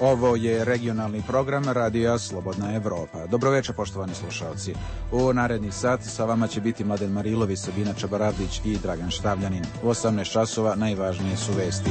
Ovo je regionalni program Radija Slobodna Evropa. Dobroveče, poštovani slušalci. U narednih sat sa vama će biti Mladen Marilović, Sabina Čabaravdić i Dragan Štavljanin. U 18 časova najvažnije su vesti.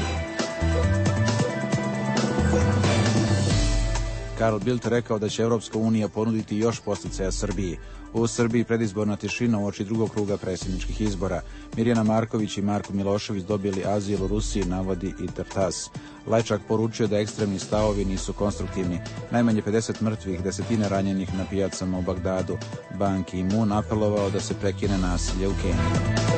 Carl Bildt rekao da će Evropska unija ponuditi još podsticaja Srbiji. U Srbiji predizborna tišina uoči drugog kruga predsjedničkih izbora. Mirjana Marković i Marko Milošević dobili azil u Rusiji, navodi INTERTASS. Lajčak poručio da ekstremni stavovi nisu konstruktivni. Najmanje 50 mrtvih, desetine ranjenih na pijacama u Bagdadu. Ban Ki-moon apelovao da se prekine nasilje u Keniji.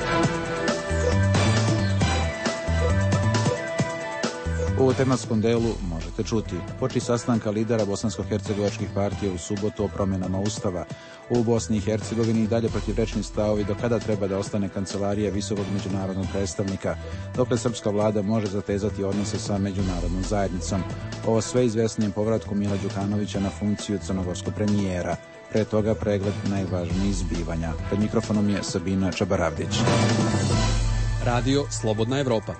U tematskom delu možete čuti poči sastanka lidera bosansko-hercegovačkih partija u subotu o promjenama Ustava. U Bosni i Hercegovini i dalje protivrečni stavovi do kada treba da ostane kancelarija visokog međunarodnog predstavnika, dokle srpska vlada može zatezati odnose sa međunarodnom zajednicom. Ovo sve izvesnijem povratku Mila Đukanovića na funkciju crnogorskog premijera. Pre toga pregled najvažnijih zbivanja. Pred mikrofonom je Sabina Čabaravdić. Radio Slobodna Evropa.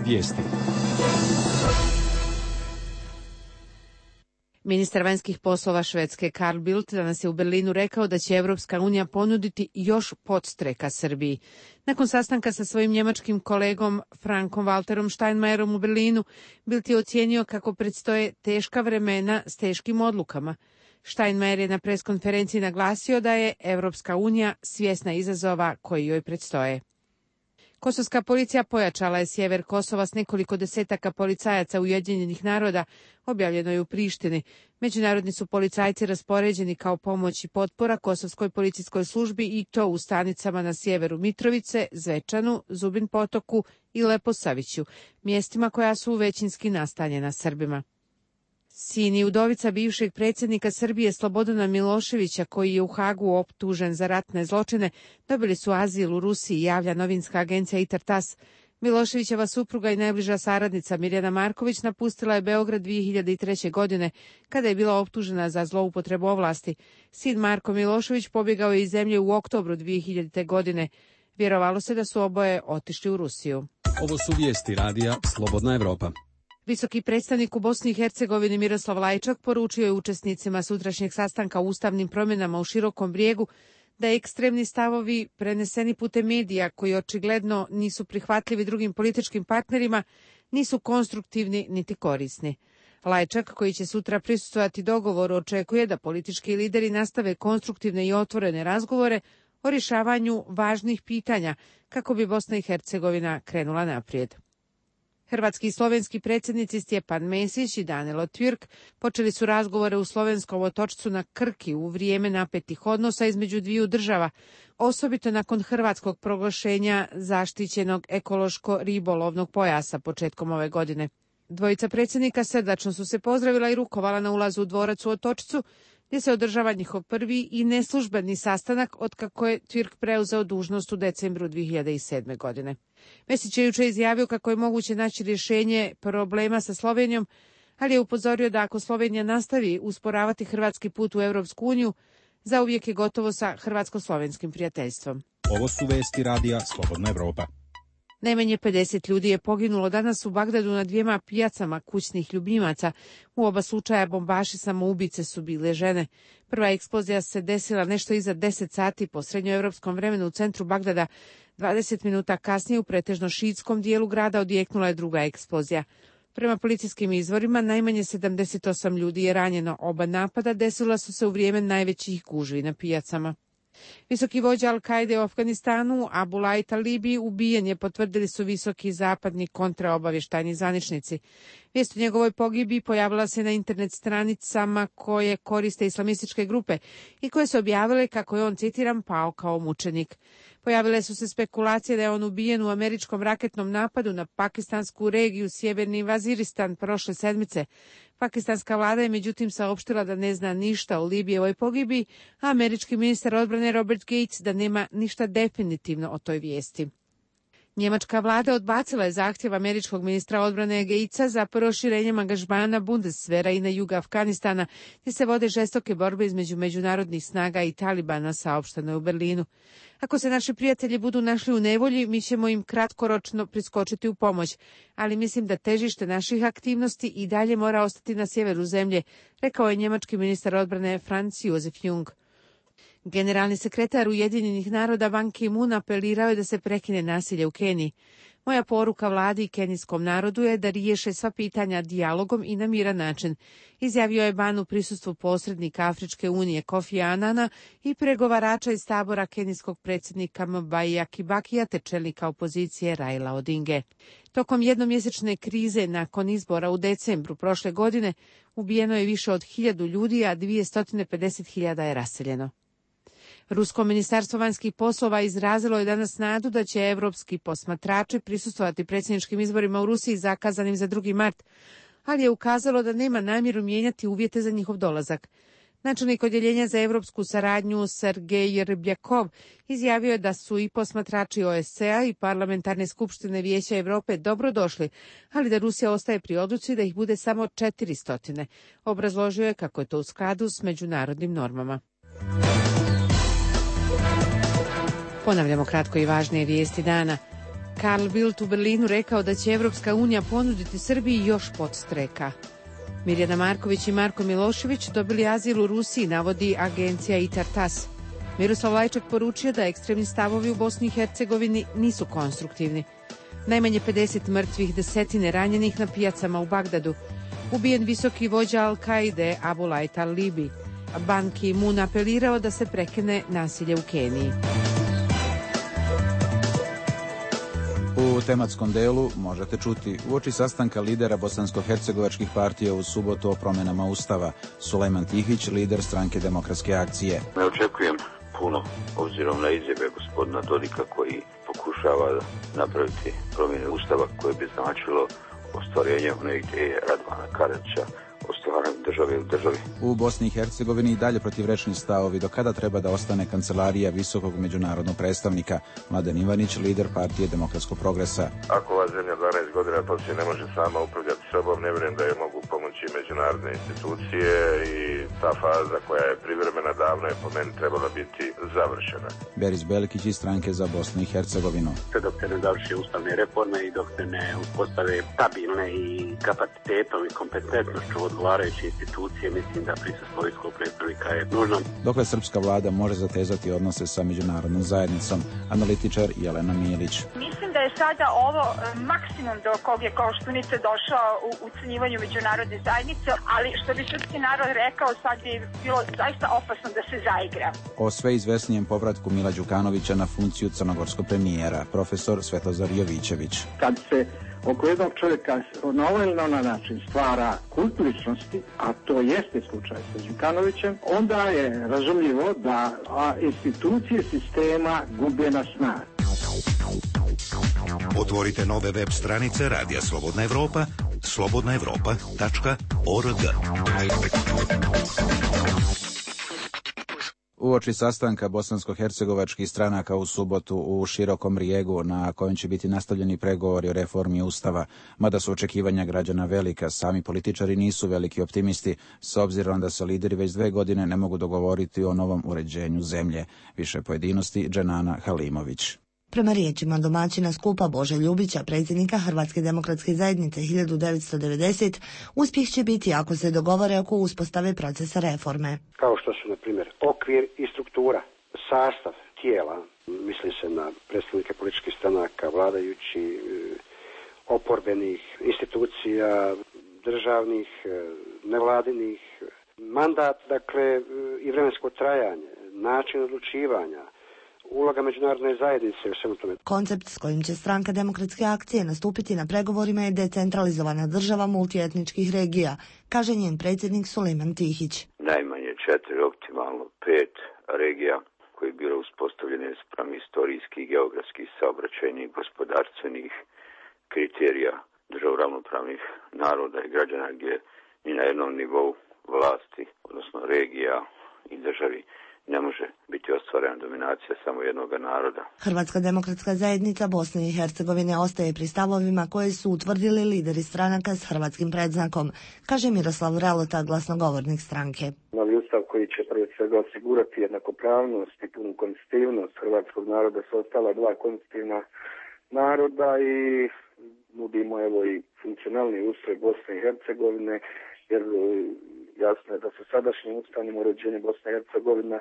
Vijesti. Ministar vanjskih poslova Švedske Carl Bildt danas je u Berlinu rekao da će Evropska unija ponuditi još podstreka Srbiji. Nakon sastanka sa svojim njemačkim kolegom Frankom Walterom Steinmeierom u Berlinu, Bildt je ocijenio kako predstoje teška vremena s teškim odlukama. Steinmeier je na preskonferenciji naglasio da je Evropska unija svjesna izazova koji joj predstoje. Kosovska policija pojačala je sjever Kosova s nekoliko desetaka policajaca Ujedinjenih naroda, objavljeno je u Prištini. Međunarodni su policajci raspoređeni kao pomoć i potpora Kosovskoj policijskoj službi i to u stanicama na sjeveru Mitrovice, Zvečanu, Zubin Potoku i Leposaviću, mjestima koja su većinski nastanjena Srbima. Sin i udovica bivšeg predsjednika Srbije Slobodana Miloševića, koji je u Hagu optužen za ratne zločine, dobili su azil u Rusiji, javlja novinska agencija INTERTASS. Miloševićeva supruga i najbliža saradnica Mirjana Marković napustila je Beograd 2003. godine, kada je bila optužena za zloupotrebu ovlasti. Sin Marko Milošević pobjegao je iz zemlje u oktobru 2000. godine. Vjerovalo se da su oboje otišli u Rusiju. Ovo su vijesti Radija Slobodna Evropa. Visoki predstavnik u Bosni i Hercegovini Miroslav Lajčak poručio je učesnicima sutrašnjeg sastanka o ustavnim promjenama u Širokom Brijegu da ekstremni stavovi preneseni putem medija, koji očigledno nisu prihvatljivi drugim političkim partnerima, nisu konstruktivni niti korisni. Lajčak, koji će sutra prisustvovati dogovoru, očekuje da politički lideri nastave konstruktivne i otvorene razgovore o rješavanju važnih pitanja kako bi Bosna i Hercegovina krenula naprijed. Hrvatski i slovenski predsjednici Stjepan Mesić i Danilo Türk počeli su razgovore u slovenskom otočcu na Krki u vrijeme napetih odnosa između dviju država, osobito nakon hrvatskog proglašenja zaštićenog ekološko-ribolovnog pojasa početkom ove godine. Dvojica predsjednika srdačno su se pozdravila i rukovala na ulazu u dvorac u otočcu, gdje se održava njihov prvi i neslužbeni sastanak otkako je Türk preuzeo dužnost u decembru 2007. godine. Mesić je jučer izjavio kako je moguće naći rješenje problema sa Slovenijom, ali je upozorio da ako Slovenija nastavi usporavati hrvatski put u Europsku uniju, zauvijek je gotovo sa hrvatsko-slovenskim prijateljstvom. Ovo su vijesti Radija Slobodna Evropa. Najmanje 50 ljudi je poginulo danas u Bagdadu na dvijema pijacama kućnih ljubimaca. U oba slučaja bombaši samoubice su bile žene. Prva eksplozija se desila nešto iza 10 sati po srednjoevropskom vremenu u centru Bagdada. 20 minuta kasnije u pretežno šiitskom dijelu grada odjeknula je druga eksplozija. Prema policijskim izvorima, najmanje 78 ljudi je ranjeno. Oba napada desila su se u vrijeme najvećih gužvi na pijacama. Visoki vođa Al-Kaide u Afganistanu, Abulaj Talibi, ubijen je, potvrdili su visoki zapadni kontraobavještajni zvaničnici. Vijest o njegovoj pogibiji pojavila se na internet stranicama koje koriste islamističke grupe i koje su objavile kako je on, citiram, pao kao mučenik. Pojavile su se spekulacije da je on ubijen u američkom raketnom napadu na pakistansku regiju Sjeverni Vaziristan prošle sedmice. Pakistanska vlada je međutim saopštila da ne zna ništa o Libijevoj pogibiji, a američki ministar odbrane Robert Gates da nema ništa definitivno o toj vijesti. Njemačka vlada odbacila je zahtjev američkog ministra odbrane Geica za proširenjem angažmana Bundeswehra i na jugu Afganistana, gdje se vode žestoke borbe između međunarodnih snaga i Talibana, saopšteno je u Berlinu. Ako se naši prijatelji budu našli u nevolji, mi ćemo im kratkoročno priskočiti u pomoć, ali mislim da težište naših aktivnosti i dalje mora ostati na sjeveru zemlje, rekao je njemački ministar odbrane Franz Josef Jung. Generalni sekretar Ujedinjenih naroda Ban Ki-moon apelirao je da se prekine nasilje u Keniji. Moja poruka vladi i kenijskom narodu je da riješe sva pitanja dijalogom i na miran način, izjavio je Ban u prisustvu posrednika Afričke unije Kofi Anana i pregovarača iz tabora kenijskog predsjednika Mbaia Kibakija te čelnika opozicije Raila Odinge. Tokom jednomjesečne krize nakon izbora u decembru prošle godine ubijeno je više od 1000 ljudi, a 250.000 je raseljeno. Rusko ministarstvo vanjskih poslova izrazilo je danas nadu da će evropski posmatrači prisustvovati predsjedničkim izborima u Rusiji zakazanim za 2. mart, ali je ukazalo da nema namjeru mijenjati uvjete za njihov dolazak. Načelnik odjeljenja za evropsku saradnju Sergej Rybjakov izjavio je da su i posmatrači OSCE-a i parlamentarne skupštine Vijeća Europe dobro došli, ali da Rusija ostaje pri odluci da ih bude samo 400. Obrazložio je kako je to u skladu s međunarodnim normama. Ponavljamo kratko i važnije vijesti dana. Carl Bildt u Berlinu rekao da će Evropska unija ponuditi Srbiji još podstreka. Mirjana Marković i Marko Milošević dobili azil u Rusiji, navodi agencija ITAR-TASS. Miroslav Lajčak poručio da ekstremni stavovi u Bosni i Hercegovini nisu konstruktivni. Najmanje 50 mrtvih, desetine ranjenih na pijacama u Bagdadu. Ubijen visoki vođa Al-Kaide Abulaj Talibi. Ban Ki-moon apelirao da se prekine nasilje u Keniji. U tematskom delu možete čuti uoči sastanka lidera bosansko-hercegovačkih partija u subotu o promjenama Ustava. Sulejman Tihić, lider stranke Demokratske akcije. Ne očekujem puno, obzirom na izjave gospodina Dodika koji pokušava napraviti promjene Ustava koje bi značilo ostvarenje one ideje Radovana Karadžića o stvaranju države u državi. U Bosni i Hercegovini i dalje protivrečni stavovi do kada treba da ostane kancelarija visokog međunarodnog predstavnika. Mladen Ivanić, lider partije Demokratskog progresa. Ako ova zemlja 12 godina poslije ne može sama upravljati sobom, ne vjerujem da je mogu pomoći međunarodne institucije i ta faza koja je privremena davno je po meni trebala biti završena. Beris Belkić iz stranke za Bosnu i Hercegovinu. Dok se ne završi ustavne reforme i dok se ne uspostave stabilne i kapacitetom i kompetentnošću odgovarajuće institucije, mislim da prisustvo visokog predstavnika je nužno. Dokle srpska vlada može zatezati odnose sa međunarodnom zajednicom, analitičar Jelena Milić. Mislim da je sada ovo maksimum do kog je Koštunica došao u ucenjivanju međunarodne zajednice, ali što bi srpski narod rekao, sad bi bilo zaista opasno da se zaigra. O sve izvesnijem povratku Mila Đukanovića na funkciju crnogorskog premijera, profesor Svetozar Jovićević. Kad se oko jednog čovjeka na ovaj ili na način stvara kult ličnosti, a to jeste slučaj sa Đukanovićem, onda je razumljivo da institucije sistema gube na snazi. Otvorite nove web stranice Radija Slobodna Evropa, slobodnaevropa.org. Uoči sastanka bosansko-hercegovačkih stranaka u subotu u Širokom Brijegu, na kojem će biti nastavljeni pregovori o reformi Ustava, mada su očekivanja građana velika, sami političari nisu veliki optimisti, s obzirom da se lideri već 2 godine ne mogu dogovoriti o novom uređenju zemlje. Više pojedinosti Dženana Halimović. Prema riječima domaćina skupa Bože Ljubića, predsjednika Hrvatske demokratske zajednice 1990, uspjeh će biti ako se dogovore oko uspostave procesa reforme. Kao što su, na primjer, okvir i struktura, sastav tijela, misli se na predstavnike političkih stranaka, vladajući, oporbenih institucija, državnih, nevladinih, mandat, dakle, i vremensko trajanje, način odlučivanja, uloga međunarodne zajednice u svemu tome. Koncept s kojim će stranka Demokratske akcije nastupiti na pregovorima je decentralizovana država multietničkih regija, kaže njen predsjednik Sulejman Tihić. Najmanje 4, optimalno 5 regija koje bile uspostavljene spram istorijskih, geografskih, saobraćajnih, gospodarstvenih kriterija država ravnopravnih naroda i građana gdje ni na jednom nivou vlasti, odnosno regija i državi, ne može biti ostvarena dominacija samo jednog naroda. Hrvatska demokratska zajednica Bosne i Hercegovine ostaje pri stavovima koje su utvrdili lideri stranaka s hrvatskim predznakom, kaže Miroslav Ralota, glasnogovornik stranke. Novi ustav koji će prije svega osigurati jednakopravnost i punu konstitutivnost hrvatskog naroda s ostala dva konstitutivna naroda i nudimo evo i funkcionalni ustroj Bosne i Hercegovine, jer jasno je da se sadašnjim ustavnim uređenjem Bosne i Hercegovina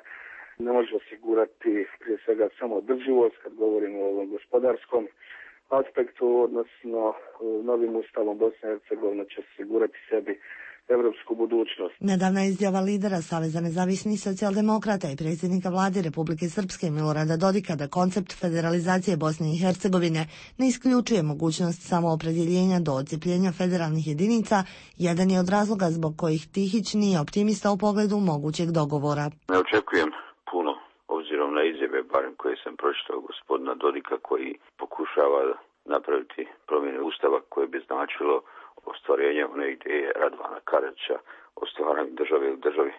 ne može osigurati prije svega samo održivost kad govorimo o ovom gospodarskom aspektu, odnosno novim ustavom Bosne i Hercegovina će osigurati sebi evropsku budućnost. Nedavna izjava lidera Saveza nezavisnih socijaldemokrata i predsjednika vlade Republike Srpske Milorada Dodika da koncept federalizacije Bosne i Hercegovine ne isključuje mogućnost samoopredjeljenja do odcijepljenja federalnih jedinica, jedan je od razloga zbog kojih Tihić nije optimista u pogledu mogućeg dogovora. Ne očekujem puno, obzirom na izjave, barem koje sam pročitao gospodina Dodika, koji pokušava napraviti promjene ustava koje bi značilo ostvarenje one ideje Radovana Karadžića o stvaranju države u državi,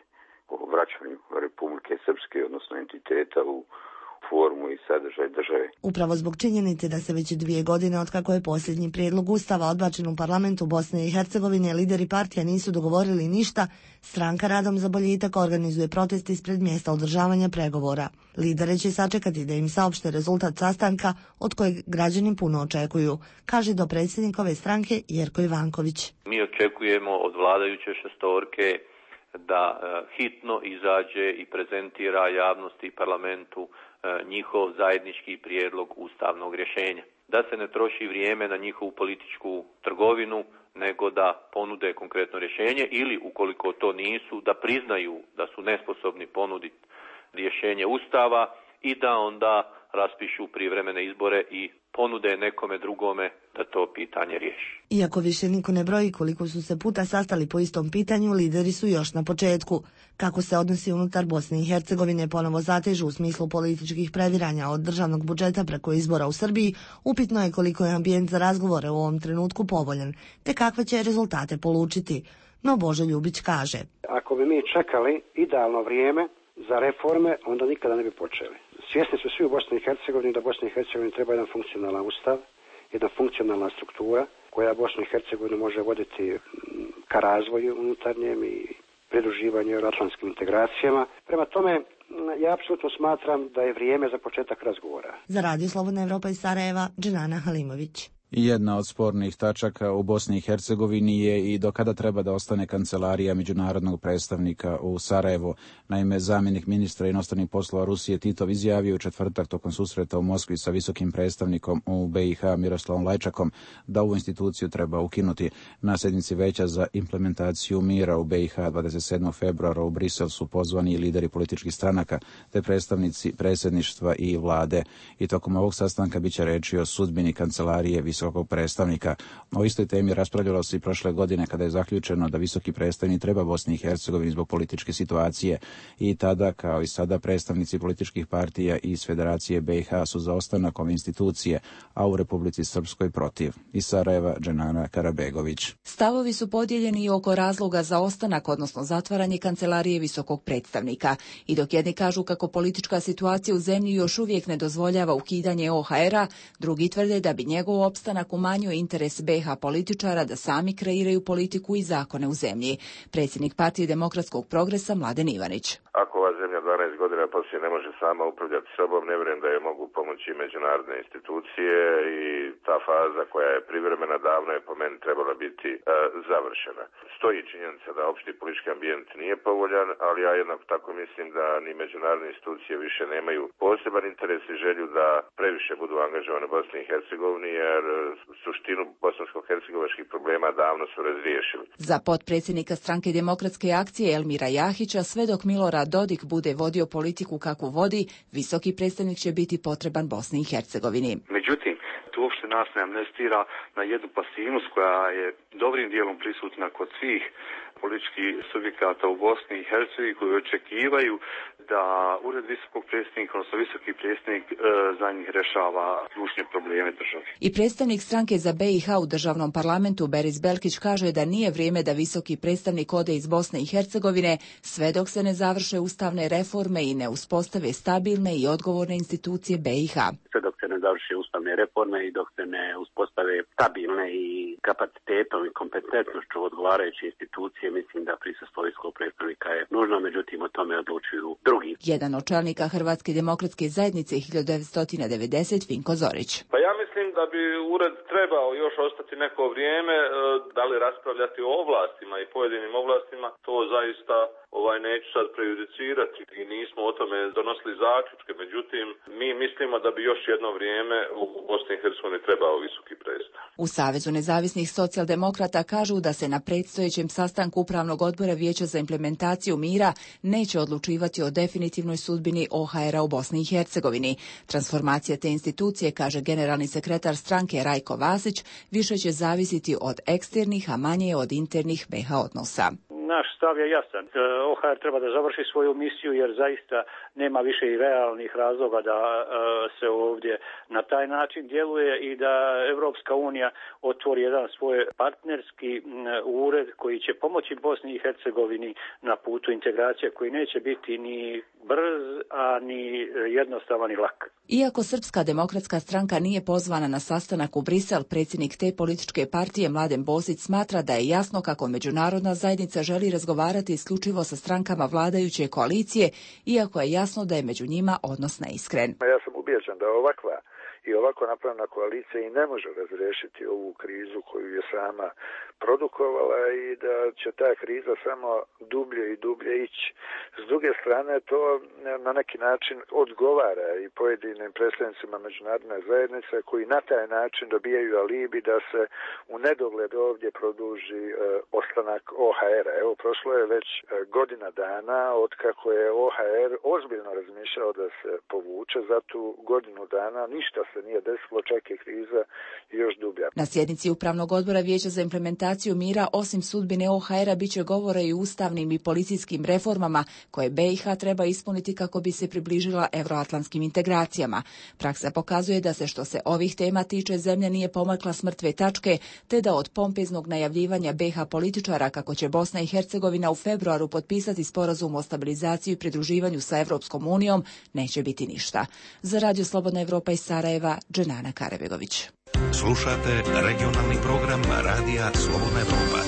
o vraćanju Republike Srpske, odnosno entiteta u formu i sadržaj države. Upravo zbog činjenice da se već 2 godine otkako je posljednji prijedlog ustava odbačen u parlamentu Bosne i Hercegovine, lideri partija nisu dogovorili ništa, stranka Radom za boljitak organizuje protest ispred mjesta održavanja pregovora. Lidere će sačekati da im saopšte rezultat sastanka od kojeg građani puno očekuju, kaže dopredsjednikove stranke Jerko Ivanković. Mi očekujemo od vladajuće šestorke da hitno izađe i prezentira javnosti i parlamentu njihov zajednički prijedlog ustavnog rješenja. Da se ne troši vrijeme na njihovu političku trgovinu, nego da ponude konkretno rješenje ili, ukoliko to nisu, da priznaju da su nesposobni ponuditi rješenje ustava i da onda raspišu prijevremene izbore i ponude nekome drugome da to pitanje riješi. Iako više niko ne broji koliko su se puta sastali po istom pitanju, lideri su još na početku. Kako se odnosi unutar Bosne i Hercegovine ponovo zatežu u smislu političkih previranja od državnog budžeta preko izbora u Srbiji, upitno je koliko je ambijent za razgovore u ovom trenutku povoljan, te kakve će rezultate polučiti. No Božo Ljubić kaže: ako bi mi čekali idealno vrijeme za reforme, onda nikada ne bi počeli. Svjesni su svi u Bosni i Hercegovini da Bosni i Hercegovini treba jedan funkcionalan ustav, jedna funkcionalna struktura koja Bosnu i Hercegovinu može voditi ka razvoju unutarnjem i pridruživanju euroatlantskim integracijama. Prema tome, ja apsolutno smatram da je vrijeme za početak razgovora. Za Radio Slobodna Evropa iz Sarajeva, Dženana Halimović. Jedna od spornih tačaka u Bosni i Hercegovini je i do kada treba da ostane kancelarija međunarodnog predstavnika u Sarajevu. Naime, zamjenik ministra inostranih poslova Rusije Titov izjavio u četvrtak tokom susreta u Moskvi sa visokim predstavnikom u BiH Miroslavom Lajčakom da ovu instituciju treba ukinuti. Na sjednici Veća za implementaciju mira u BiH 27. februara u Brisel su pozvani lideri političkih stranaka te predstavnici predsjedništva i vlade. I tokom ovog sastanka biće reči o sudbini kancelarije visokog predstavnika. O istoj temi raspravljalo se i prošle godine kada je zaključeno da visoki predstavnik treba Bosni i Hercegovini zbog političke situacije. I tada, kao i sada, predstavnici političkih partija iz Federacije BiH su za ostanak ove institucije, a u Republici Srpskoj protiv. Iz Sarajeva, Dženana Karabegović. Stavovi su podijeljeni i oko razloga za ostanak, odnosno zatvaranje kancelarije visokog predstavnika. I dok jedni kažu kako politička situacija u zemlji još uvijek ne dozvoljava ukidanje OHR-a, drugi tvrde da bi njegov opstanak umanjio interes BiH političara da sami kreiraju politiku i zakone u zemlji. Predsjednik Partije demokratskog progresa Mladen Ivanić. Ako ova zemlja 12 godina poslije ne može sama upravljati sobom, ne vjerujem da je mogu pomoći međunarodne institucije i ta faza koja je privremena davno je po meni trebala biti završena. Stoji činjenica da opšti politički ambijent nije povoljan, ali ja jednako tako mislim da ni međunarodne institucije više nemaju poseban interes i želju da previše budu angažovane u Bosni i Hercegovini, jer suštinu bosansko-hercegovačkih problema davno su razriješili. Za potpredsjednika Stranke demokratske akcije Elmira Jahića, sve dok Milorad Dodik bude vodio politiku kakvu vodi, visoki predstavnik će biti potreban Bosni i Hercegovini. Međutim, tu uopšte nas ne amnestira na jednu pasivnost koja je dobrim dijelom prisutna kod svih političkih subjekata u Bosni i Hercegovini koji očekivaju da Ured visokog predstavnika, odnosno visoki predstavnik za njih rešava ključne probleme države. I predstavnik stranke za BiH u državnom parlamentu Beris Belkić kaže da nije vrijeme da visoki predstavnik ode iz Bosne i Hercegovine sve dok se ne završe ustavne reforme i ne uspostave stabilne i odgovorne institucije BiH. Sve dok se ne završe ustavne reforme i dok se ne uspostave stabilne i kapacitetom i kompetentnošću odgovarajuće institucije, mislim da prisustvo visokog predstavnika je nužno, međutim o tome odlučuju drugi. Jedan od čelnika Hrvatske demokratske zajednice 1990, Vinko Zorić. Pa ja mislim da bi ured trebao još ostati neko vrijeme, da li raspravljati o ovlastima i pojedinim ovlastima, to zaista neću sad prejudicirati i nismo o tome donosili zaključke, međutim mi mislimo da bi još jedno vrijeme u Bosni i Hercegovini trebao visoki predstavnik. U Savezu nezavisnih socijaldemokrata kažu da se na predstojećem sastanku Upravnog odbora Vijeća za implementaciju mira neće odlučivati o definitivnoj sudbini OHR-a u Bosni i Hercegovini. Transformacija te institucije, kaže generalni sekretar stranke Rajko Vasić, više će zavisiti od eksternih, a manje od internih BiH odnosa. Naš stav je jasan. OHR treba da završi svoju misiju jer zaista nema više i realnih razloga da se ovdje na taj način djeluje i da Evropska unija otvori jedan svoj partnerski ured koji će pomoći Bosni i Hercegovini na putu integracije koji neće biti ni brz, a ni jednostavan i lak. Iako Srpska demokratska stranka nije pozvana na sastanak u Brisel, predsjednik te političke partije Mladen Bosić smatra da je jasno kako međunarodna zajednica želi razgovarati isključivo sa strankama vladajuće koalicije, iako je jasno da je među njima odnos neiskren. Ja sam ubijeđen da ovakva i ovako napravljena koalicija i ne može razriješiti ovu krizu koju je sama produkovala i da će ta kriza samo dublje i dublje ići. S druge strane, to na neki način odgovara i pojedinim predstavnicima međunarodne zajednice koji na taj način dobijaju alibi da se u nedogled ovdje produži ostanak OHR-a. Evo, prošlo je već godina dana od kako je OHR ozbiljno razmišljao da se povuče. Za tu godinu dana ništa se nije desilo, čak je kriza još dublja. Na sjednici Upravnog odbora Vijeća za implementaciju mira, osim sudbine OHR-a, bit će govora i ustavnim i policijskim reformama koje BiH treba ispuniti kako bi se približila euroatlantskim integracijama. Praksa pokazuje da se što se ovih tema tiče zemlja nije pomakla s mrtve tačke, te da od pompeznog najavljivanja BiH političara kako će Bosna i Hercegovina u februaru potpisati sporazum o stabilizaciji i pridruživanju sa Evropskom unijom neće biti ništa. Za Radio Slobodna Evropa iz Sarajeva, Dženana Karabegović. Slušate regionalni program Radija Slobodna Evropa.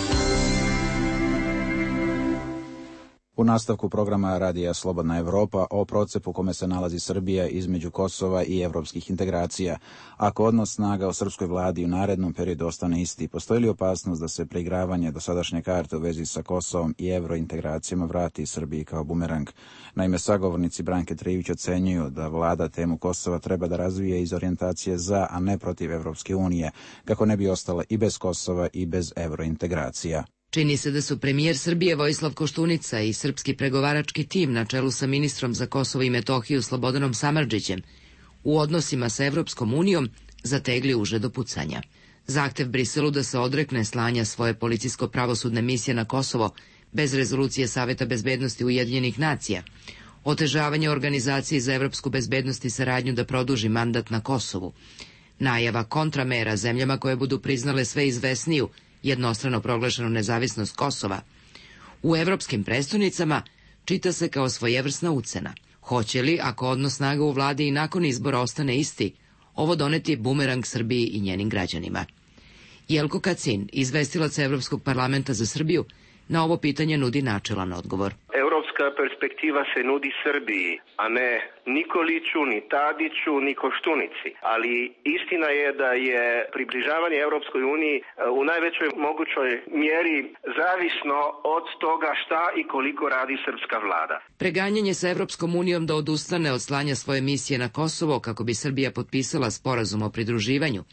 U nastavku programa Radija Slobodna Evropa o procepu kome se nalazi Srbija između Kosova i evropskih integracija. Ako odnos snaga u srpskoj vladi u narednom periodu ostane isti, postoji li opasnost da se preigravanje dosadašnje karte u vezi sa Kosovom i evrointegracijama vrati Srbiji kao bumerang? Naime, sagovornici Branke Trivić ocenjuju da vlada temu Kosova treba da razvije iz orijentacije za, a ne protiv Evropske unije, kako ne bi ostala i bez Kosova i bez evrointegracija. Čini se da su premijer Srbije Vojislav Koštunica i srpski pregovarački tim na čelu sa ministrom za Kosovo i Metohiju Slobodanom Samardžićem u odnosima sa Evropskom unijom zategli uže do pucanja. Zahtev Briselu da se odrekne slanja svoje policijsko-pravosudne misije na Kosovo bez rezolucije Saveta bezbednosti Ujedinjenih nacija, otežavanje organizacije za evropsku bezbednost i saradnju da produži mandat na Kosovu, najava kontramera zemljama koje budu priznale sve izvesniju jednostrano proglašenu nezavisnost Kosova, u evropskim prestonicama čita se kao svojevrsna ucena. Hoće li, ako odnos snaga u vladi i nakon izbora ostane isti, ovo doneti bumerang Srbiji i njenim građanima? Jelko Kacin, izvestilac Evropskog parlamenta za Srbiju, na ovo pitanje nudi načelan odgovor. Evropska perspektiva se nudi Srbiji, a ne Nikoliću, ni Tadiću, ni Koštunici. Ali istina je da je približavanje Evropskoj uniji u najvećoj mogućoj mjeri zavisno od toga šta i koliko radi srpska vlada. Preganjanje sa Evropskom unijom da odustane od slanja svoje misije na Kosovo kako bi Srbija potpisala sporazum o pridruživanju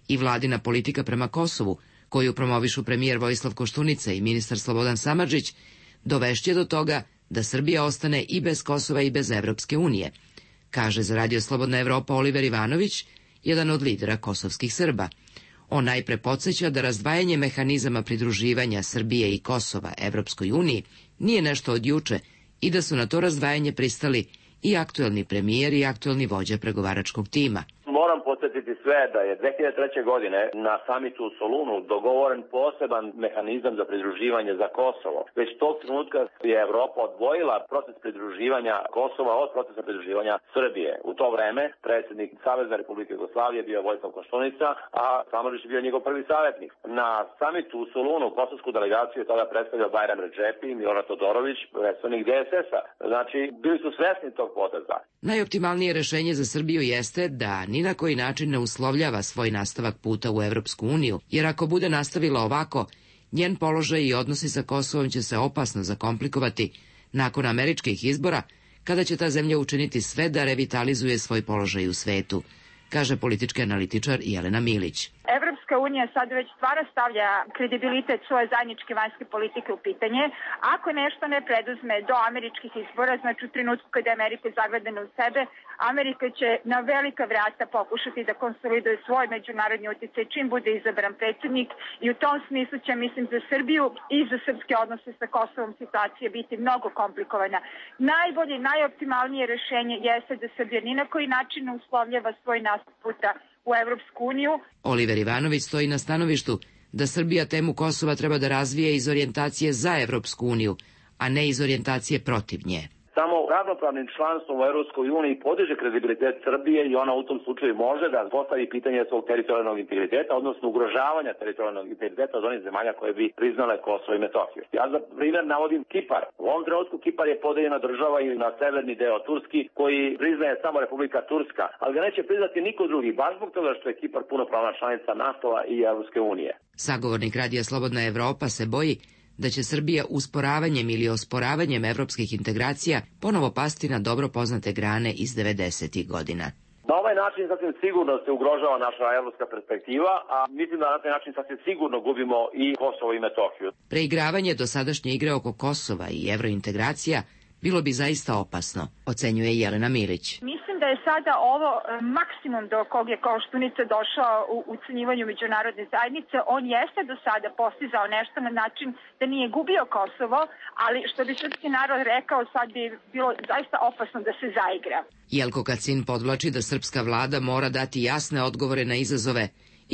i vladina politika prema Kosovu, koju promovišu premijer Vojislav Koštunica i ministar Slobodan Samardžić, dovešće do toga da Srbija ostane i bez Kosova i bez Evropske unije, kaže za Radio Slobodna Evropa Oliver Ivanović, jedan od lidera kosovskih Srba. On najpre podsjeća da razdvajanje mehanizama pridruživanja Srbije i Kosova Evropskoj uniji nije nešto od juče i da su na to razdvajanje pristali i aktuelni premijer i aktuelni vođa pregovaračkog tima. Moram podsjetiti sve da je 2003. godine na samitu u Solunu dogovoren poseban mehanizam za pridruživanje za Kosovo. Već tog trenutka je Evropa odvojila proces pridruživanja Kosova od procesa pridruživanja Srbije. U to vreme predsjednik Savezne Republike Jugoslavije bio Vojislav Koštunica, a Samardžić je bio njegov prvi savjetnik. Na samitu u Solunu kosovsku delegaciju je tada predstavljao Bajram Redžepi i Milorad Todorović, predstavnik DSS-a. Znači, bili su svesni tog poteza. Najoptimalnije rešenje za Srbiju jeste da ni na koji način ne uslovljava svoj nastavak puta u Evropsku uniju, jer ako bude nastavila ovako, njen položaj i odnosi sa Kosovom će se opasno zakomplikovati nakon američkih izbora, kada će ta zemlja učiniti sve da revitalizuje svoj položaj u svetu, kaže politički analitičar Jelena Milić. Evropska unija sad već stvarno stavlja kredibilitet svoje zajedničke vanjske politike u pitanje. Ako nešto ne preduzme do američkih izbora, znači u trenutku kada je Amerika zagledana u sebe, Amerika će na velika vrata pokušati da konsoliduje svoj međunarodni utjecaj čim bude izabran predsjednik i u tom smislu će, mislim, za Srbiju i za srpske odnose sa Kosovom situacija biti mnogo komplikovana. Najbolje, najoptimalnije rešenje jeste da Srbija ni na koji način ne uslovljava svoj nastup puta u Evropsku uniju. Oliver Ivanović stoji na stanovištu da Srbija temu Kosova treba da razvije iz orijentacije za Evropsku uniju, a ne iz orijentacije protiv nje. Samo ravnopravnim članstvom u Evropskoj uniji podiže kredibilitet Srbije i ona u tom slučaju može da postavi pitanje svog teritorijalnog integriteta, odnosno ugrožavanja teritorijalnog integriteta od onih zemalja koje bi priznale Kosovo i Metohiju. Ja za primjer navodim Kipar. U ovom trenutku Kipar je podeljena država i na severni deo Turski koji priznaje samo Republika Turska, ali ga neće priznati niko drugi, baš zbog toga što je Kipar punopravna članica NATO-a i Evropske unije. Sagovornik Radija Slobodna Evropa se boji da će Srbija usporavanjem ili osporavanjem evropskih integracija ponovo pasti na dobro poznate grane iz 90. godina. Na ovaj način sasvim sigurno se ugrožava naša evropska perspektiva, a mislim da na taj način sasvim sigurno gubimo i Kosovo i Metohiju. Preigravanje dosadašnje igre oko Kosova i evrointegracija bilo bi zaista opasno, ocenjuje Jelena Milić. Mislim da je sada ovo maksimum do kog je Koštunica došao u ucenjivanju međunarodne zajednice. On jeste do sada postizao nešto na način da nije gubio Kosovo, ali što bi srpski narod rekao, sad bi bilo zaista opasno da se zaigra. Jelko Kacin podvlači da srpska vlada mora dati jasne odgovore na izazove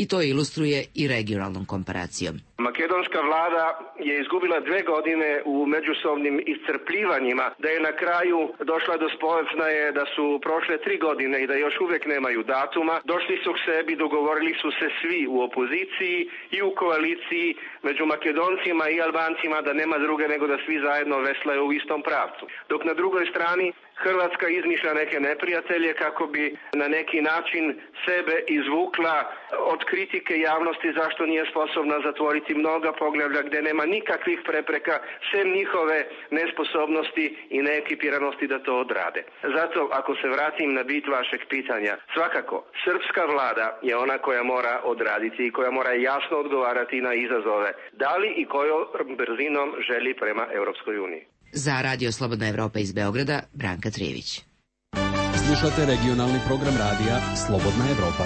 i to ilustruje i regionalnom komparacijom. Makedonska vlada je izgubila 2 godine u međusobnim iscrpljivanjima, da je na kraju došla do spoznaje da su prošle 3 godine i da još uvijek nemaju datuma. Došli su k sebi, dogovorili su se svi u opoziciji i u koaliciji među Makedoncima i Albancima da nema druge nego da svi zajedno veslaju u istom pravcu. Dok na drugoj strani Hrvatska izmišlja neke neprijatelje kako bi na neki način sebe izvukla od kritike javnosti zašto nije sposobna zatvoriti mnoga poglavlja gdje nema nikakvih prepreka, sem njihove nesposobnosti i neekipiranosti da to odrade. Zato, ako se vratim na bit vašeg pitanja, svakako, srpska vlada je ona koja mora odraditi i koja mora jasno odgovarati na izazove, da li i kojom brzinom želi prema Europskoj uniji. Za Radio Slobodna Evropa iz Beograda, Branka Trijević. Slušate regionalni program radija Slobodna Evropa.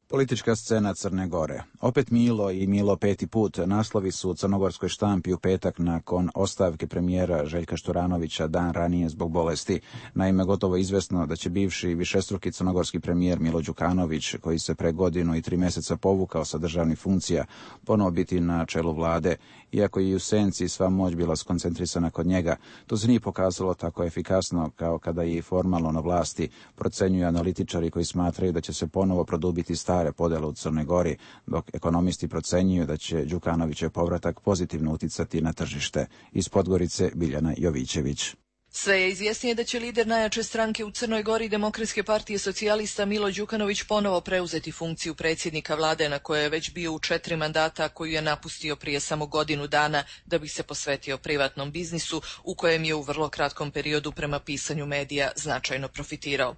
Politička scena Crne Gore. Opet Milo i Milo peti put naslovi su u crnogorskoj štampi u petak nakon ostavke premijera Željka Šturanovića dan ranije zbog bolesti. Naime, gotovo izvesno da će bivši višestruki crnogorski premijer Milo Đukanović, koji se pre 1 godinu i 3 meseca povukao sa državnih funkcija, ponovo biti na čelu vlade. Iako je i u senci sva moć bila skoncentrisana kod njega, to se nije pokazalo tako efikasno kao kada je i formalno na vlasti, procenjuju analitičari koji smatraju da će se ponovo produbiti stare podele u Crnoj Gori, dok ekonomisti procenjuju da će Đukanovićev povratak pozitivno uticati na tržište. Iz Podgorice Biljana Jovićević. Sve je izvjesnije da će lider najjače stranke u Crnoj Gori Demokratske partije socijalista Milo Đukanović ponovo preuzeti funkciju predsjednika vlade na kojoj je već bio u 4 mandata, koju je napustio prije samo 1 godinu dana da bi se posvetio privatnom biznisu u kojem je u vrlo kratkom periodu prema pisanju medija značajno profitirao.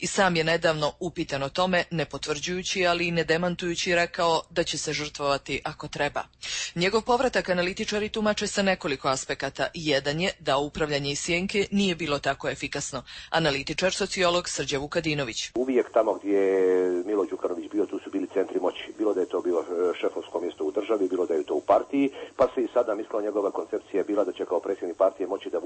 I sam je nedavno upitan o tome, ne potvrđujući ali i ne demantujući, rekao da će se žrtvovati ako treba. Njegov povratak analitičari tumače sa nekoliko aspekata. Jedan je da upravljanje iz sjenke politike nije bilo tako efikasno. Analitičar, sociolog Srđa Vukadinović. Uvijek tamo gdje je Milo Đukanović bio, tu su bili centri moći. Bilo da je to bilo šefovsko mjesto u državi, bilo da je to u partiji, pa se i sada mislila njegova koncepcija je bila da će kao predsjednik partije moći da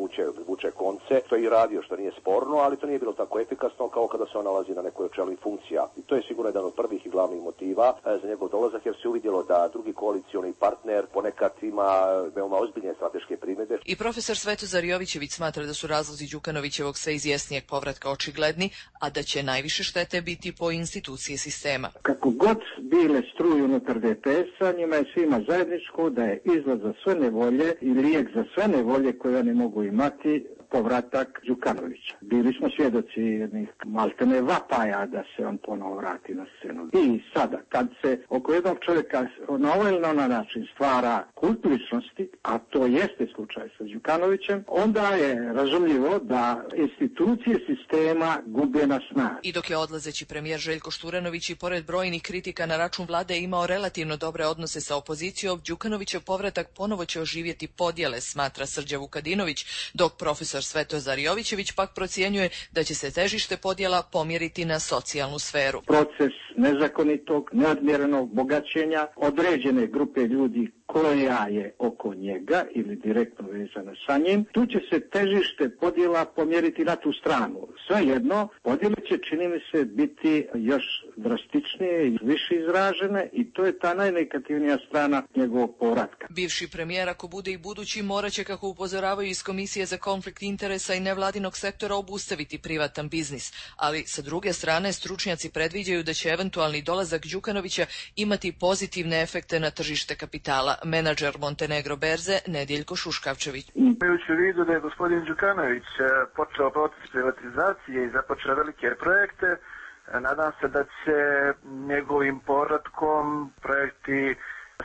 vuče konce. To je i radio, što nije sporno, ali to nije bilo tako efikasno kao kada se on nalazi na nekoj od čelnih funkcija. I to je sigurno jedan od prvih i glavnih motiva za njegov dolazak, jer se uvidjelo da drugi koalicioni partner ponekad ima veoma ozbiljne strateške primjedbe. I profesor Svetozar Jovićević smatra da su razlozi Đukanovićevog sve izvjesnijeg povratka očigledni, a da će najviše štete biti po institucije sistema. Kako god bile struje unutar DPS-a, njima je svima zajedničko da je izlaz za sve nevolje i lijek za sve nevolje koje oni mogu imati povratak Đukanovića. Bili smo svjedoci jednih maltene vapaja da se on ponovo vrati na scenu. I sada, kad se oko jednog čovjeka na ovaj ili na način stvara kult ličnosti, a to jeste slučaj sa Đukanovićem, onda je razumljivo da institucije sistema gube na snazi. I dok je odlazeći premijer Željko Šturanović i pored brojnih kritika na račun vlade imao relativno dobre odnose sa opozicijom, Đukanovićev povratak ponovo će oživjeti podjele, smatra Srđa Vukadinović, dok profesor Svetozar Jovićević pak procjenjuje da će se težište podjela pomjeriti na socijalnu sferu. Proces nezakonitog, neodmjerenog bogaćenja određene grupe ljudi koja je oko njega ili direktno vezana sa njim, tu će se težište podjela pomjeriti na tu stranu. Svejedno, podjele će, čini mi se, biti još drastičnije i više izražene i to je ta najnegativnija strana njegovog povratka. Bivši premijer, ako bude i budući, morat će, kako upozoravaju iz Komisije za konflikt interesa i nevladinog sektora, obustaviti privatan biznis. Ali, sa druge strane, stručnjaci predviđaju da će eventualni dolazak Đukanovića imati pozitivne efekte na tržište kapitala. Menadžer Montenegro berze Nediljko Šuškavčević. Imajući u vidu da je gospodin Đukanović počeo proces privatizacije i započeo velike projekte, nadam se da će njegovim povratkom projekti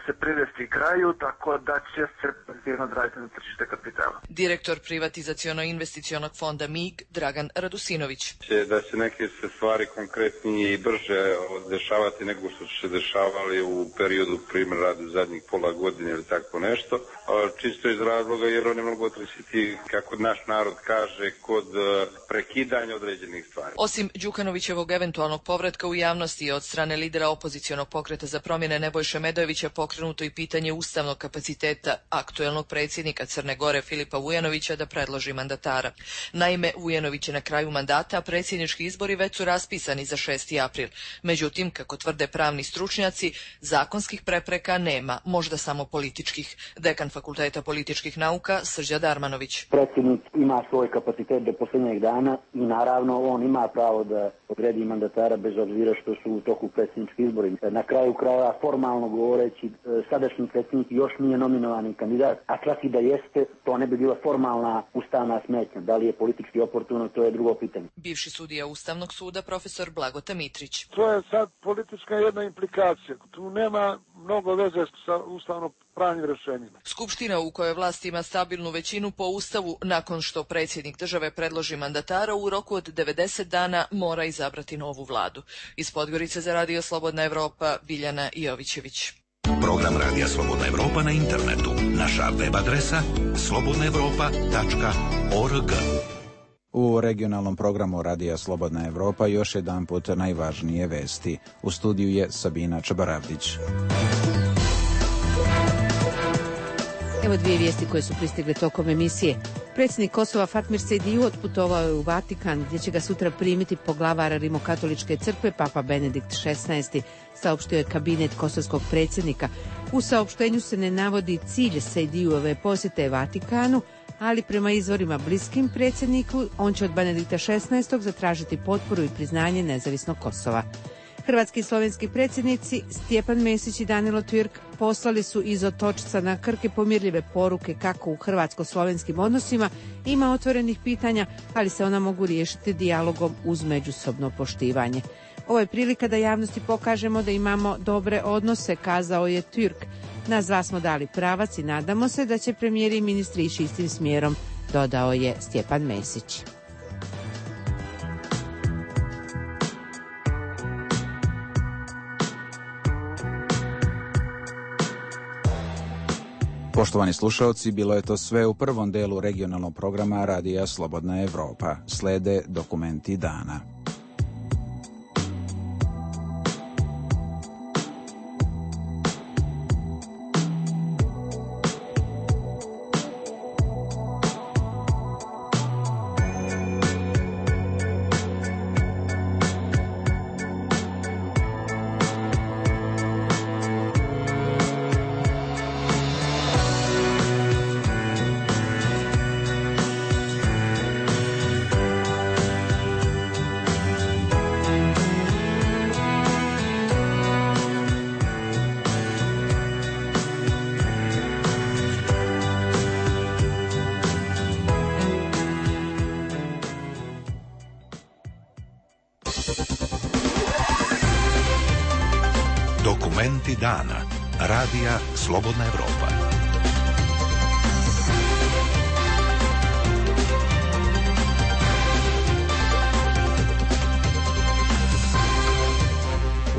se privesti kraju, tako da će se pozitivno odraziti na tržište kapitala. Direktor privatizaciono-investicionog fonda MIG Dragan Radusinović. Da će neke se stvari konkretnije i brže dešavati nego što su se dešavali u periodu primjer rada zadnjih pola godine ili tako nešto. Čisto iz razloga jer oni mogu otresiti, kako naš narod kaže, kod prekidanja određenih stvari. Osim Đukanovićevog eventualnog povratka u javnosti od strane lidera opozicionog pokreta za promjene Nebojše Medojevića pokrenuto i pitanje ustavnog kapaciteta aktuelnog predsjednika Crne Gore Filipa Vujanovića da predloži mandatara. Naime, Vujanović je na kraju mandata, a predsjednički izbori već su raspisani za 6. april. Međutim, kako tvrde pravni stručnjaci, zakonskih prepreka nema, možda samo političkih. Dekan Fakulteta političkih nauka Srđa Darmanović. Predsjednik ima svoj kapacitet do posljednjeg dana i naravno on ima pravo da odredi mandatara bez obzira što su u toku predsjednički izbori. Na kraju krajeva, formalno govoreći, sadašnji predsjednik još nije nominowani kandidat, a čak i da jeste, to ne bi bila formalna ustavna smetnja. Da li je politički oportuno, to je drugo pitanje. Bivši sudija Ustavnog suda profesor Blagota Mitrić. To je sad politička jedna implikacija. Tu nema mnogo veze sa ustavno pravnim rješenjima. Skupština u kojoj vlast ima stabilnu većinu po Ustavu, nakon što predsjednik države predloži mandatara, u roku od 90 dana mora izabrati novu vladu. Iz Podgorice za Radio Slobodna Evropa, Biljana Jovićević. Program Radija Slobodna Evropa na internetu. Naša web adresa slobodnaevropa.org. U regionalnom programu Radija Slobodna Evropa još jedan put najvažnije vesti. U studiju je Sabina Čabaravdić. Evo dvije vijesti koje su pristigle tokom emisije. Predsjednik Kosova Fatmir Sejdiu otputovao je u Vatikan, gdje će ga sutra primiti poglavara Rimokatoličke crkve Papa Benedikt XVI, saopštio je kabinet kosovskog predsjednika. U saopštenju se ne navodi cilj Sejdiuove posjete Vatikanu, ali prema izvorima bliskim predsjedniku, on će od Benedikta XVI zatražiti potporu i priznanje nezavisnog Kosova. Hrvatski i slovenski predsjednici Stjepan Mesić i Danilo Türk poslali su iz Otočca na Krke pomirljive poruke kako u hrvatsko-slovenskim odnosima ima otvorenih pitanja, ali se ona mogu riješiti dijalogom uz međusobno poštivanje. Ovo je prilika da javnosti pokažemo da imamo dobre odnose, kazao je Türk. Nas dva smo dali pravac i nadamo se da će premijeri i ministri ići istim smjerom, dodao je Stjepan Mesić. Poštovani slušalci, bilo je to sve u prvom delu regionalnog programa Radija Slobodna Evropa. Slede dokumenti dana. Dokumenti dana. Radija Slobodna Evropa.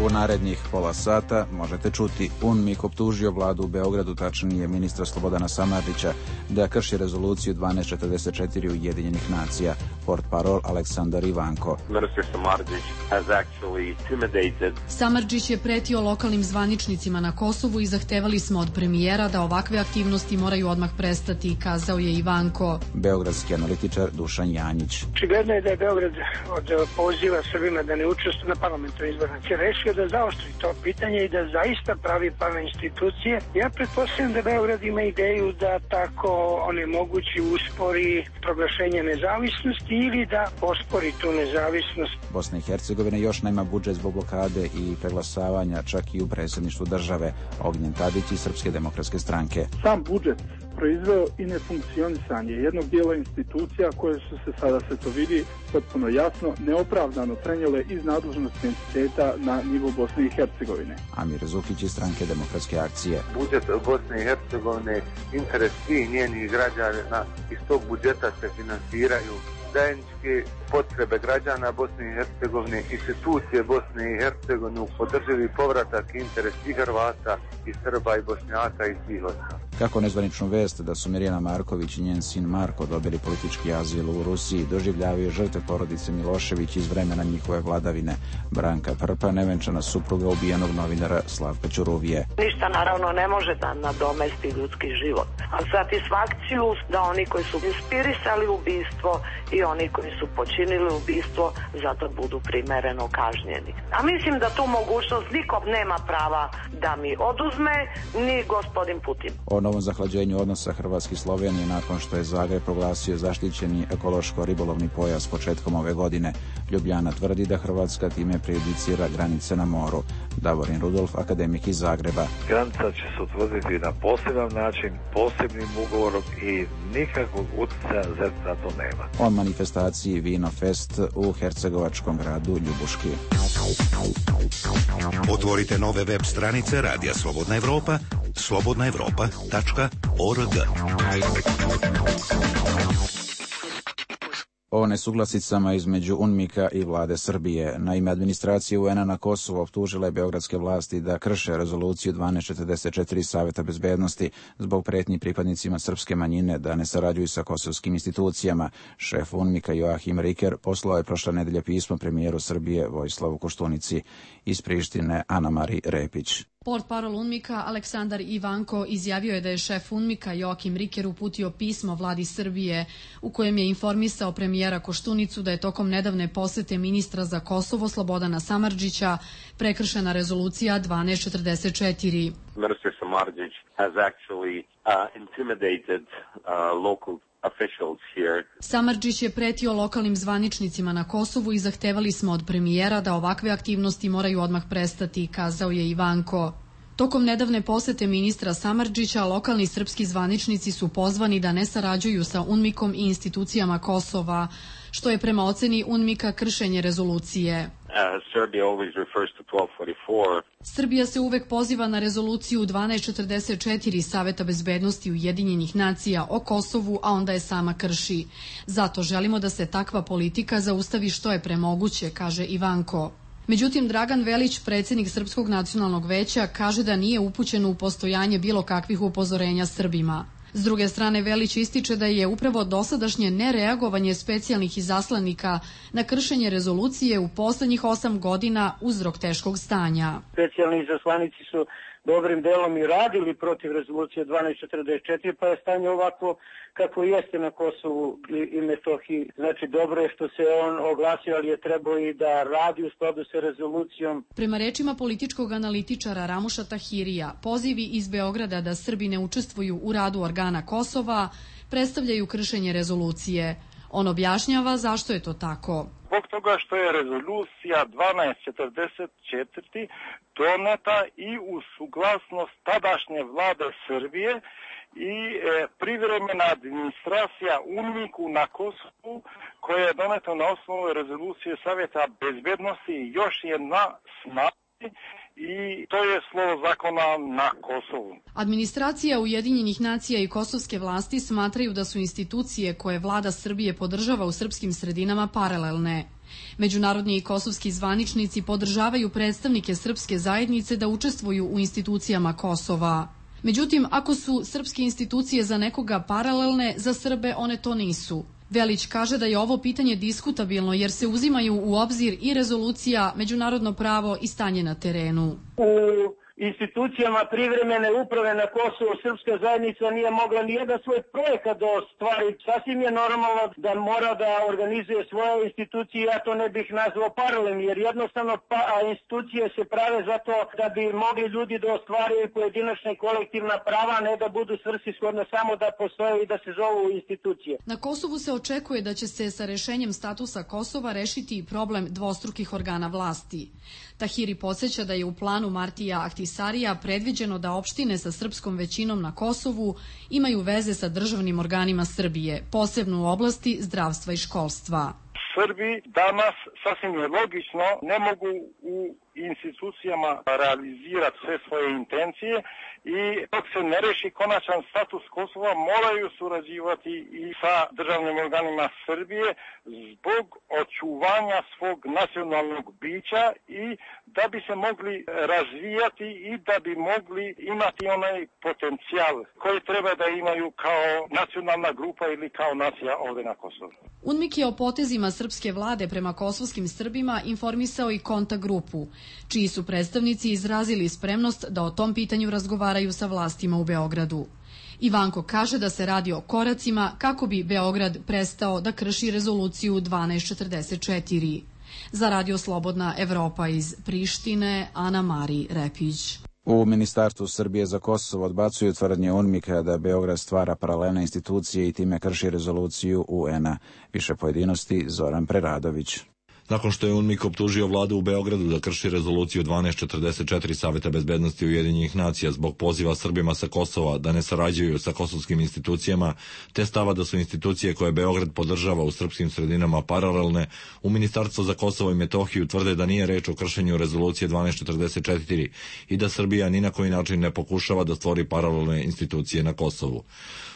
U narednih pola sata možete čuti: UNMIK optužio vladu u Beogradu, tačnije ministra Slobodana Samardžića, da krši rezoluciju 1244 Ujedinjenih nacija. Portparol Aleksandar Ivanko. Samardžić je pretio lokalnim zvaničnicima na Kosovu i zahtevali smo od premijera da ovakve aktivnosti moraju odmah prestati, kazao je Ivanko. Beogradski analitičar Dušan Janjić. Očigledno je da je Beograd od poziva Srbima da ne učestvuju na parlamentarnim izborima rešio da zaoštri to pitanje i da zaista pravi pravne institucije. Ja pretpostavljam da Beograd ima ideju da tako onemogući, uspori proglašenje nezavisnosti ili da ospori tu nezavisnost. Bosna i Hercegovina još nema budžet zbog blokade i preglasavanja čak i u predsjedništvu države. Ognjen Tadić iz Srpske demokratske stranke. Sam budžet proizveo i nefunkcionisanje jednog dijela institucija koje su se, sada se to vidi potpuno jasno, neopravdano prenijele iz nadležnosti entiteta na nivo Bosne i Hercegovine. Amir Zukić iz Stranke demokratske akcije. Budžet Bosne i Hercegovine, interes svih njenih građana, iz tog budžeta se finansiraju zajedničke potrebe građana Bosne i Hercegovine, institucije Bosne i Hercegovine, podrživi povratak interes i Hrvata i Srba i Bošnjaka i svih ostalih. Kako nezvaničnu vest da su Mirjana Marković i njen sin Marko dobili politički azil u Rusiji doživljavaju žrtve porodice Milošević iz vremena njihove vladavine. Branka Prpa, nevenčana supruga ubijenog novinara Slavka Ćuruvije. Ništa naravno ne može da nadomesti ljudski život. A satisfakciju da oni koji su inspirisali ubistvo i oni koji su počinili ubistvo zato budu primereno kažnjeni. A mislim da tu mogućnost nikom nema prava da mi oduzme, ni gospodin Putin. O novom zahlađenju odnosa Hrvatske i Slovenije nakon što je Zagreb proglasio zaštićeni ekološko-ribolovni pojas početkom ove godine. Ljubljana tvrdi da Hrvatska time prejudicira granice na moru. Davorin Rudolf, akademik iz Zagreba. Granica će se utvrditi na poseban način, posebnim ugovorom i nikakvog utjecaja ZERP na to nema. O manifestaciji Vino Fest u hercegovačkom gradu Ljubuški. Otvorite nove web stranice Radija Slobodna Evropa, slobodnaevropa.org. O nesuglasicama između UNMIK-a i vlade Srbije. Naime, administracija UN-a na Kosovu optužila je beogradske vlasti da krše rezoluciju 1244 Saveta bezbednosti zbog pretnji pripadnicima srpske manjine da ne sarađuju sa kosovskim institucijama. Šef UNMIK-a Joachim Riker poslao je prošle nedelje pismo premijeru Srbije Vojislavu Koštunici. Iz Prištine Ana-Mari Repić. Portparol UNMIK-a Aleksandar Ivanko izjavio je da je šef UNMIK-a Joachim Riker uputio pismo vladi Srbije u kojem je informisao premijera Koštunicu da je tokom nedavne posete ministra za Kosovo Slobodana Samardžića prekršena rezolucija 1244. Minister Samardžić has actually intimidated local officials here. Samardžić je pretio lokalnim zvaničnicima na Kosovu i zahtevali smo od premijera da ovakve aktivnosti moraju odmah prestati, kazao je Ivanko. Tokom nedavne posete ministra Samardžića, lokalni srpski zvaničnici su pozvani da ne sarađuju sa UNMIK-om i institucijama Kosova, što je prema oceni UNMIK-a kršenje rezolucije. Srbija se uvek poziva na rezoluciju 1244 Saveta bezbednosti Ujedinjenih nacija o Kosovu, a onda je sama krši. Zato želimo da se takva politika zaustavi što je premoguće, kaže Ivanko. Međutim, Dragan Velić, predsjednik Srpskog nacionalnog veća, kaže da nije upućen u postojanje bilo kakvih upozorenja Srbima. S druge strane, Velić ističe da je upravo dosadašnje nereagovanje specijalnih izaslanika na kršenje rezolucije u poslednjih 8 godina uzrok teškog stanja. Specijalni izaslanici su dobrim delom i radili protiv rezolucije 1244, pa je stanje ovako kako jeste na Kosovu i Metohiji. Znači, dobro je što se on oglasio, ali je trebao i da radi u skladu sa rezolucijom. Prema rečima političkog analitičara Ramuša Tahirija, pozivi iz Beograda da Srbi ne učestvuju u radu organa Kosova predstavljaju kršenje rezolucije. On objašnjava zašto je to tako. Zbog toga što je rezolucija 1244 doneta i u suglasnost tadašnje vlade Srbije i privremena administracija UNMIK-u na Kosovu, koja je doneta na osnovu rezolucije Savjeta bezbednosti, još je na snazi i to je slovo zakona na Kosovu. Administracija Ujedinjenih nacija i kosovske vlasti smatraju da su institucije koje vlada Srbije podržava u srpskim sredinama paralelne. Međunarodni i kosovski zvaničnici podržavaju predstavnike srpske zajednice da učestvuju u institucijama Kosova. Međutim, ako su srpske institucije za nekoga paralelne, za Srbe one to nisu. Velić kaže da je ovo pitanje diskutabilno jer se uzimaju u obzir i rezolucija, međunarodno pravo i stanje na terenu. Institucijama privremene uprave na Kosovu srpska zajednica nije mogla ni jedan svoj projekat da ostvari. Sasvim je normalno da mora da organizuje svoje institucije, ja to ne bih nazvao paralelnim, jer jednostavno institucije se prave zato da bi mogli ljudi da ostvaraju pojedinačna i kolektivna prava, ne da budu svrsishodno samo da postoje i da se zovu institucije. Na Kosovu se očekuje da će se sa rešenjem statusa Kosova rešiti i problem dvostrukih organa vlasti. Tahiri podsjeća da je u planu Martija Ahtisarija predviđeno da opštine sa srpskom većinom na Kosovu imaju veze sa državnim organima Srbije, posebno u oblasti zdravstva i školstva. Srbi danas, sasvim je logično, ne mogu u institucijama realizirati sve svoje intencije i dok se ne reši konačan status Kosova moraju surađivati i sa državnim organima Srbije zbog očuvanja svog nacionalnog bića i da bi se mogli razvijati i da bi mogli imati onaj potencijal koji treba da imaju kao nacionalna grupa ili kao nacija ovdje na Kosovu. UNMIK je o potezima srpske vlade prema kosovskim Srbima informisao i kontakt grupu, čiji su predstavnici izrazili spremnost da o tom pitanju razgovaraju sa vlastima u Beogradu. Ivanko kaže da se radi o koracima kako bi Beograd prestao da krši rezoluciju 1244. Za Radio Slobodna Evropa iz Prištine, Ana Mari Repić. U Ministarstvu Srbije za Kosovo odbacuju tvrdnje UNMIK-a da Beograd stvara paralelne institucije i time krši rezoluciju UN-a. Više pojedinosti Zoran Preradović. Nakon što je UNMIK optužio vladu u Beogradu da krši rezoluciju 1244 Saveta bezbednosti Ujedinjenih nacija zbog poziva Srbima sa Kosova da ne sarađuju sa kosovskim institucijama, te stava da su institucije koje Beograd podržava u srpskim sredinama paralelne, u Ministarstvu za Kosovo i Metohiju tvrde da nije reč o kršenju rezolucije 1244 i da Srbija ni na koji način ne pokušava da stvori paralelne institucije na Kosovu.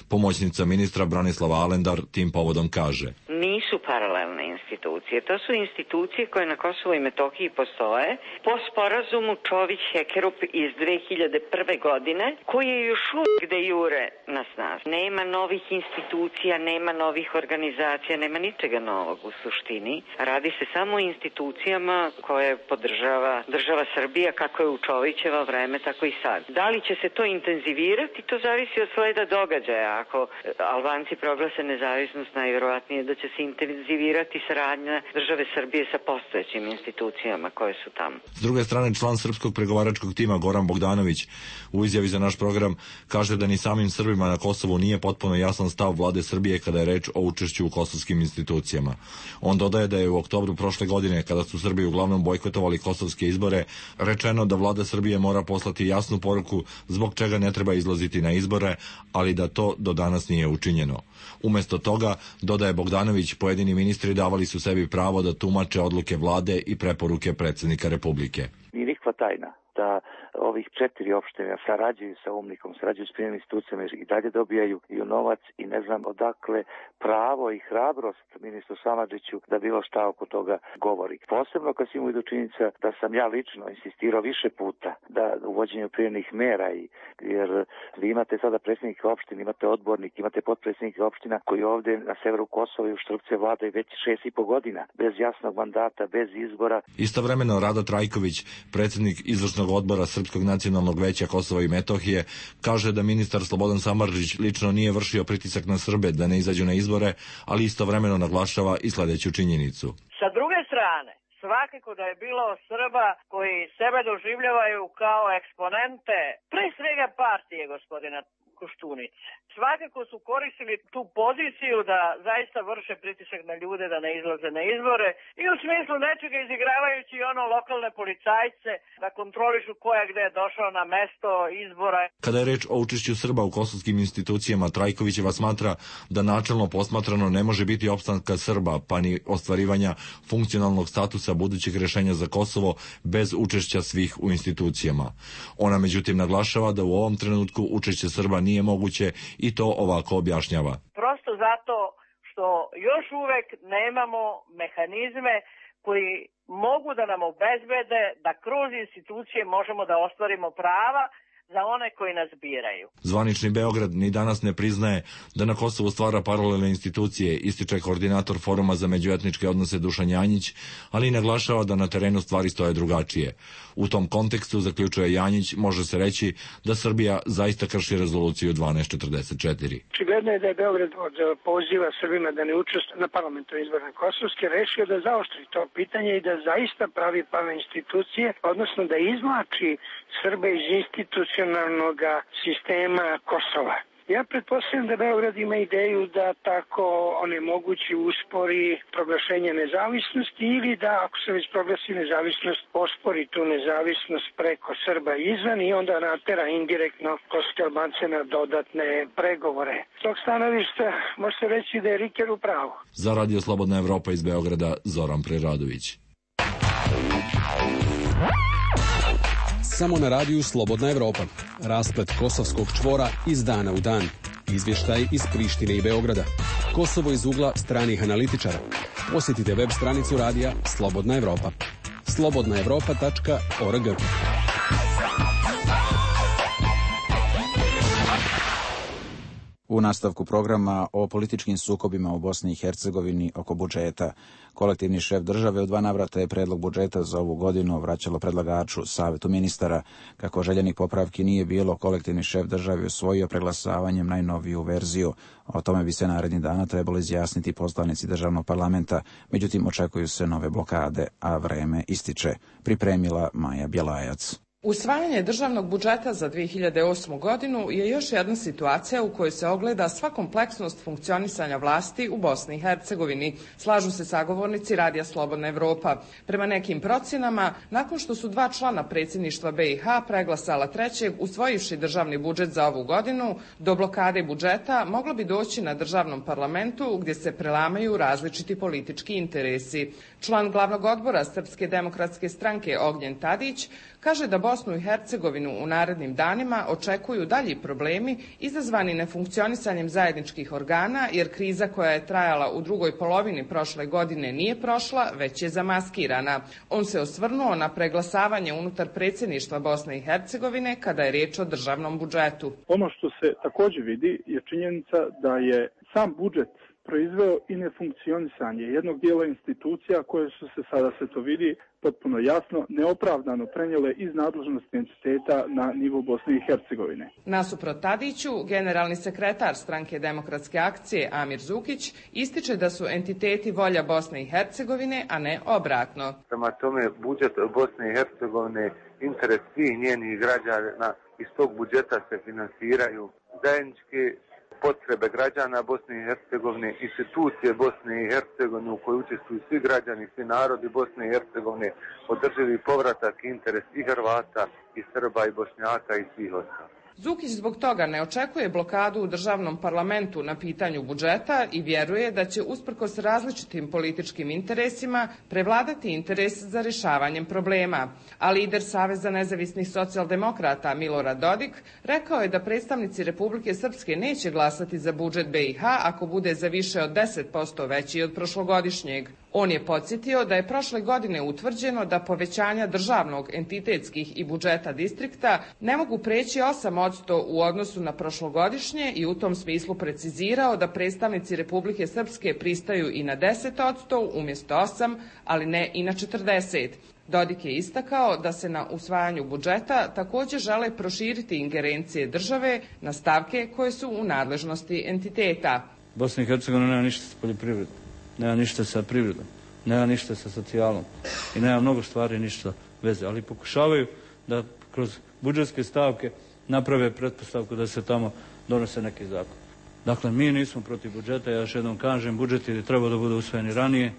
Pomoćnica ministra Branislava Alendar tim povodom kaže: Nisu paralelne institucije, to su institucije koje na Kosovo i Metohiji postoje po sporazumu Čović-Hekerup iz 2001. godine, koji je još uvijek de jure na snazi. Nema novih institucija, nema novih organizacija, nema ničega novog u suštini. Radi se samo o institucijama koje podržava država Srbija, kako je u Čovićeva vreme, tako i sad. Da li će se to intenzivirati, to zavisi od sleda događaja. Ako Albanci proglase nezavisnost, najvjerovatnije da će se intenzivirati saradnja države Srbije sa postojećim institucijama koje su tamo. S druge strane, član srpskog pregovaračkog tima Goran Bogdanović u izjavi za naš program kaže da ni samim Srbima na Kosovu nije potpuno jasan stav vlade Srbije kada je reč o učešću u kosovskim institucijama. On dodaje da je u oktobru prošle godine, kada su Srbi uglavnom bojkotovali kosovske izbore, rečeno da vlada Srbije mora poslati jasnu poruku zbog čega ne treba izlaziti na izbore, ali da to do danas nije učinjeno. Umesto toga, dodaje Bogdanović, pojedini ministri davali su sebi pravo da tumače odluke vlade i preporuke predsjednika Republike. Nije nikakva tajna da ovih 4 opština sarađuju sa UMNIK-om, sarađuju s prijemnim institucijama i dalje dobijaju i novac i ne znam odakle pravo i hrabrost ministru Samardžiću da bilo šta oko toga govori. Posebno kad se imaju do činjenica da sam ja lično insistirao više puta da uvođenju prijemnih mera, jer vi imate sada predsjednike opština, imate odbornik, imate potpredsjednike opština koji ovdje na severu Kosova i u Štrpce vladaju već 6,5 godina, bez jasnog mandata, bez izbora. Istovremeno Rado Trajković, predsjednik izvršnog odbora Srpskog nacionalnog veća Kosova i Metohije, kaže da ministar Slobodan Samardžić lično nije vršio pritisak na Srbe da ne izađu na izbore, ali istovremeno naglašava i sledeću činjenicu. Sa druge strane, svakako da je bilo Srba koji sebe doživljavaju kao eksponente, pre svega partije gospodina Koštunice. Svakako su koristili tu poziciju da zaista vrše pritisak na ljude da ne izlaze na izbore i u smislu nečega izigravajući ono lokalne policajce da kontrolišu ko je gde došao na mesto izbora. Kada je reč o učešću Srba u kosovskim institucijama, Trajkovićeva smatra da načelno posmatrano ne može biti opstanka Srba, pa ni ostvarivanja funkcionalnog statusa budućih rešenja za Kosovo bez učešća svih u institucijama. Ona međutim naglašava da u ovom trenutku učešće Srba nije moguće i to ovako objašnjava. Prosto zato što još uvek nemamo mehanizme koji mogu da nam obezbede da kroz institucije možemo da ostvarimo prava za one koji nas biraju. Zvanični Beograd ni danas ne priznaje da na Kosovu stvara paralelne institucije, ističe koordinator Foruma za međuetničke odnose Dušan Janjić, ali i naglašava da na terenu stvari stoje drugačije. U tom kontekstu, zaključuje Janjić, može se reći da Srbija zaista krši rezoluciju 1244. Očigledno je da je Beograd od poziva Srbima da ne učestvuju na parlamentarnim izborima Kosovske rešio da zaoštri to pitanje i da zaista pravi prave institucije, odnosno da izvlači Srbe iz institucionalnog sistema Kosova. Ja pretpostavljam da Beograd ima ideju da tako onemogući, uspori proglašenje nezavisnosti ili da, ako se već proglasi nezavisnost, ospori tu nezavisnost preko Srba izvan i onda natera indirektno kosovske Albance na dodatne pregovore. S tog stanovišta može se reći da je Riker u pravu. Za Radio Slobodna Evropa iz Beograda, Zoran Preradović. Samo na radiju Slobodna Evropa. Rasplet kosovskog čvora iz dana u dan. Izvještaj iz Prištine i Beograda. Kosovo iz ugla stranih analitičara. Posjetite web stranicu radija Slobodna Evropa. slobodnaevropa.org. U nastavku programa o političkim sukobima u Bosni i Hercegovini oko budžeta. Kolektivni šef države u 2 navrata je predlog budžeta za ovu godinu vraćalo predlagaču Savetu ministara. Kako željenih popravki nije bilo, kolektivni šef države usvojio preglasavanjem najnoviju verziju. O tome bi se narednih dana trebalo izjasniti poslanici državnog parlamenta, međutim očekuju se nove blokade, a vreme ističe. Pripremila Maja Bjelajac. Usvajanje državnog budžeta za 2008. godinu je još jedna situacija u kojoj se ogleda sva kompleksnost funkcionisanja vlasti u Bosni i Hercegovini, slažu se sagovornici Radija Slobodna Evropa. Prema nekim procjenama, nakon što su 2 člana predsjedništva BiH preglasala 3. usvojivši državni budžet za ovu godinu, do blokade budžeta moglo bi doći na državnom parlamentu gdje se prelamaju različiti politički interesi. Član glavnog odbora Srpske demokratske stranke Ognjen Tadić kaže da Bosnu i Hercegovinu u narednim danima očekuju dalji problemi izazvani nefunkcionisanjem zajedničkih organa, jer kriza koja je trajala u drugoj polovini prošle godine nije prošla, već je zamaskirana. On se osvrnuo na preglasavanje unutar predsjedništva Bosne i Hercegovine kada je riječ o državnom budžetu. Ono što se također vidi je činjenica da je sam budžet proizveo i nefunkcionisanje jednog dijela institucija koje su se, sada se to vidi potpuno jasno, neopravdano prenijele iz nadležnosti entiteta na nivo Bosne i Hercegovine. Nasuprot Tadiću, generalni sekretar Stranke demokratske akcije Amir Zukić ističe da su entiteti volja Bosne i Hercegovine, a ne obratno. Prema tome, budžet Bosne i Hercegovine, interes svih njenih građana, iz tog budžeta se finansiraju zajedničke potrebe građana Bosne i Hercegovine, institucije Bosne i Hercegovine u kojoj učestvuju svi građani, svi narodi Bosne i Hercegovine, održivi povratak, interes i Hrvata, i Srba, i Bošnjaka, i svih ostalih. Zukić zbog toga ne očekuje blokadu u državnom parlamentu na pitanju budžeta i vjeruje da će usprkos različitim političkim interesima prevladati interes za rješavanjem problema. A lider Saveza nezavisnih socijaldemokrata Milorad Dodik rekao je da predstavnici Republike Srpske neće glasati za budžet BiH ako bude za više od 10% veći od prošlogodišnjeg. On je podsjetio da je prošle godine utvrđeno da povećanja državnog, entitetskih i budžeta distrikta ne mogu preći 8% u odnosu na prošlogodišnje i u tom smislu precizirao da predstavnici Republike Srpske pristaju i na 10% umjesto 8%, ali ne i na 40%. Dodik je istakao da se na usvajanju budžeta također žele proširiti ingerencije države na stavke koje su u nadležnosti entiteta. Bosna i Hercegovina nema ništa sa poljoprivredom, nema ništa sa privredom, nema ništa sa socijalom i nema mnogo stvari ništa veze, ali pokušavaju da kroz budžetske stavke naprave pretpostavku da se tamo donose neki zakon. Dakle, mi nismo protiv budžeta, ja još jednom kažem, budžet je trebao da bude usvojen i ranije.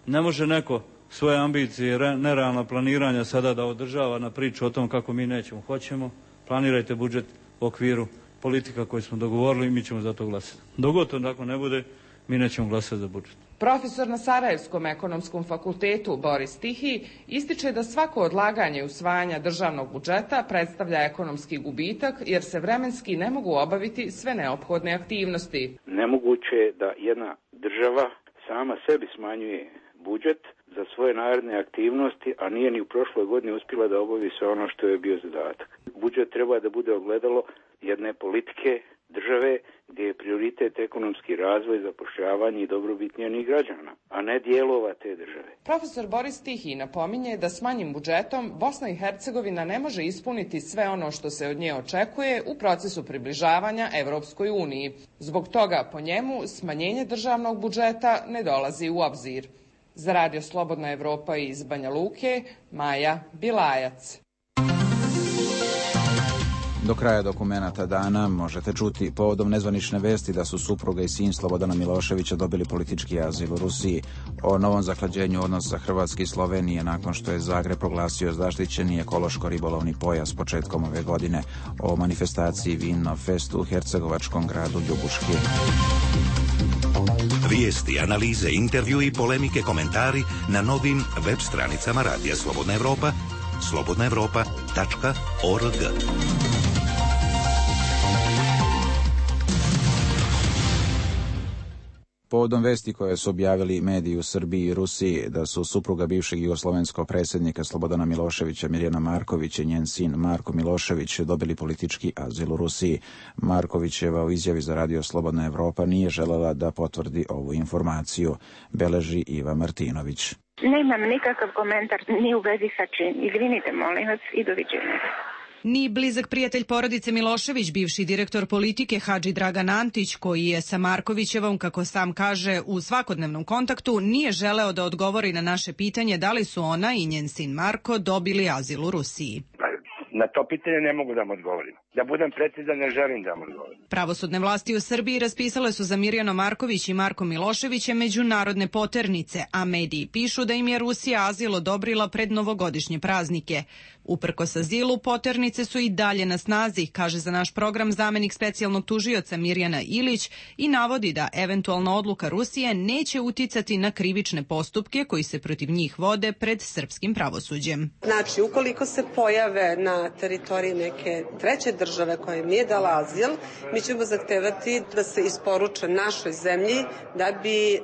Ne može neko svoje ambicije i nerealna planiranja sada da održava na priču o tom kako mi nećemo, hoćemo. Planirajte budžet u okviru politika koje smo dogovorili i mi ćemo za to glasati. Dok to tako ne bude, mi nećemo glasati za budžet. Profesor na Sarajevskom ekonomskom fakultetu Boris Tihi ističe da svako odlaganje usvajanja državnog budžeta predstavlja ekonomski gubitak jer se vremenski ne mogu obaviti sve neophodne aktivnosti. Nemoguće je da jedna država sama sebi smanjuje budžet za svoje naredne aktivnosti, a nije ni u prošloj godini uspjela da obavi sve ono što je bio zadatak. Budžet treba da bude ogledalo jedne politike države gdje je prioritet ekonomski razvoj, zapošljavanje i dobrobit njenih građana, a ne dijelova te države. Profesor Boris Tihi napominje da s manjim budžetom Bosna i Hercegovina ne može ispuniti sve ono što se od nje očekuje u procesu približavanja Evropskoj uniji. Zbog toga, po njemu, smanjenje državnog budžeta ne dolazi u obzir. Za Radio Slobodna Evropa iz Banja Luke, Maja Bilajac. Do kraja dokumenata dana možete čuti povodom nezvanične vesti da su supruga i sin Slobodana Miloševića dobili politički azil u Rusiji, o novom zaklađenju odnosa Hrvatske i Slovenije nakon što je Zagreb proglasio zaštićeni ekološko-ribolovni pojas početkom ove godine, o manifestaciji Vinno Fest u hercegovačkom gradu Ljubuški. Vijesti, analize, intervju i polemike, komentari na novim web stranicama Radija Slobodna Evropa, slobodnaevropa.org. Povodom vesti koje su objavili mediji u Srbiji i Rusiji da su supruga bivšeg jugoslovenskog predsjednika Slobodana Miloševića Mirjana Marković i njen sin Marko Milošević dobili politički azil u Rusiji. Markovićeva u izjavi za Radio Slobodna Evropa nije želela da potvrdi ovu informaciju, beleži Iva Martinović. Nemam nikakav komentar ni u vezi sa čim. Izvinite, molim vas, i doviđenja. Ni blizak prijatelj porodice Milošević, bivši direktor politike Hadži Dragan Antić, koji je sa Markovićevom, kako sam kaže, u svakodnevnom kontaktu, nije želeo da odgovori na naše pitanje da li su ona i njen sin Marko dobili azil u Rusiji. Na to pitanje ne mogu da vam odgovorim. Da budem precizan, ne želim da vam odgovorim. Pravosudne vlasti u Srbiji raspisale su za Mirjanu Marković i Marko Miloševića međunarodne poternice, a mediji pišu da im je Rusija azil odobrila pred novogodišnje praznike. Uprkos azilu, poternice su i dalje na snazi, kaže za naš program zamenik specijalnog tužioca Mirjana Ilić i navodi da eventualna odluka Rusije neće uticati na krivične postupke koji se protiv njih vode pred srpskim pravosuđem. Znači, ukoliko se pojave na teritoriji neke treće države koja im nije dala azil, mi ćemo zahtevati da se isporuče našoj zemlji da bi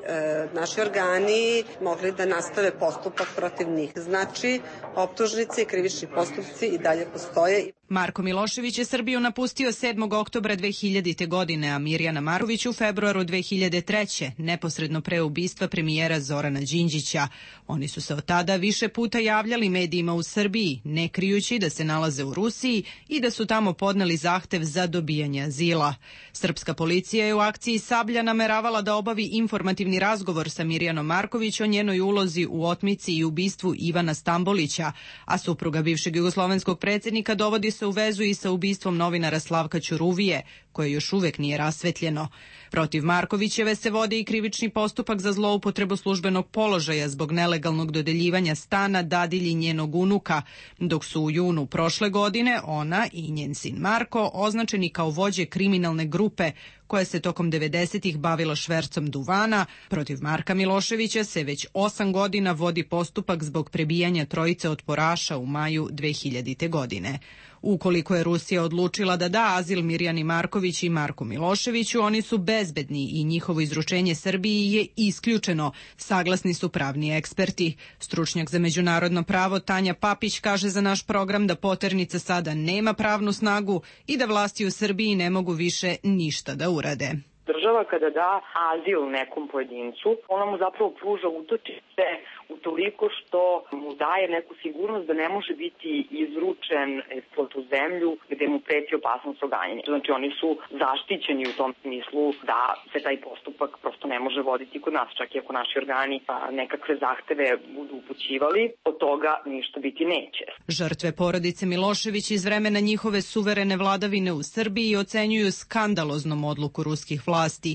naši organi mogli da nastave postupak protiv njih. Znači, optužnice i krivični postupci i dalje postoje. Marko Milošević je Srbiju napustio 7. oktobra 2000. godine, a Mirjana Marković u februaru 2003. neposredno pre ubistva premijera Zorana Đinđića. Oni su se od tada više puta javljali medijima u Srbiji, ne krijući da se nalaze u Rusiji i da su tamo podneli zahtev za dobijanje azila. Srpska policija je u akciji Sablja nameravala da obavi informativni razgovor sa Mirjanom Marković o njenoj ulozi u otmici i ubistvu Ivana Stambolića, a supruga bivšeg jugoslovenskog predsjednika dovodi se u vezu i sa ubistvom novinara Slavka Ćuruvije, koje još uvek nije rasvetljeno. Protiv Markovićeve se vodi i krivični postupak za zloupotrebu službenog položaja zbog nelegalnog dodeljivanja stana dadilji njenog unuka, dok su u junu prošle prošle godine ona i njen sin Marko označeni kao vođe kriminalne grupe koja se tokom 90-ih bavila švercom duvana. Protiv Marka Miloševića se već 8 godina vodi postupak zbog prebijanja trojice otporaša u maju 2000. godine. Ukoliko je Rusija odlučila da da azil Mirjani Marković i Marku Miloševiću, oni su bezbedni i njihovo izručenje Srbiji je isključeno, saglasni su pravni eksperti. Stručnjak za međunarodno pravo Tanja Papić kaže za naš program da poternica sada nema pravnu snagu i da vlasti u Srbiji ne mogu više ništa da urade. Država kada da azil nekom pojedincu, ona mu zapravo pruža utočište utoliko što mu daje neku sigurnost da ne može biti izručen po tu zemlju gde mu preti opasnost od ganjanja. Znači oni su zaštićeni u tom smislu da se taj postupak prosto ne može voditi kod nas, čak i ako naši organi nekakve zahteve budu upućivali, od toga ništa biti neće. Žrtve porodice Milošević iz vremena njihove suverene vladavine u Srbiji ocenjuju skandaloznom odluku ruskih vlasti.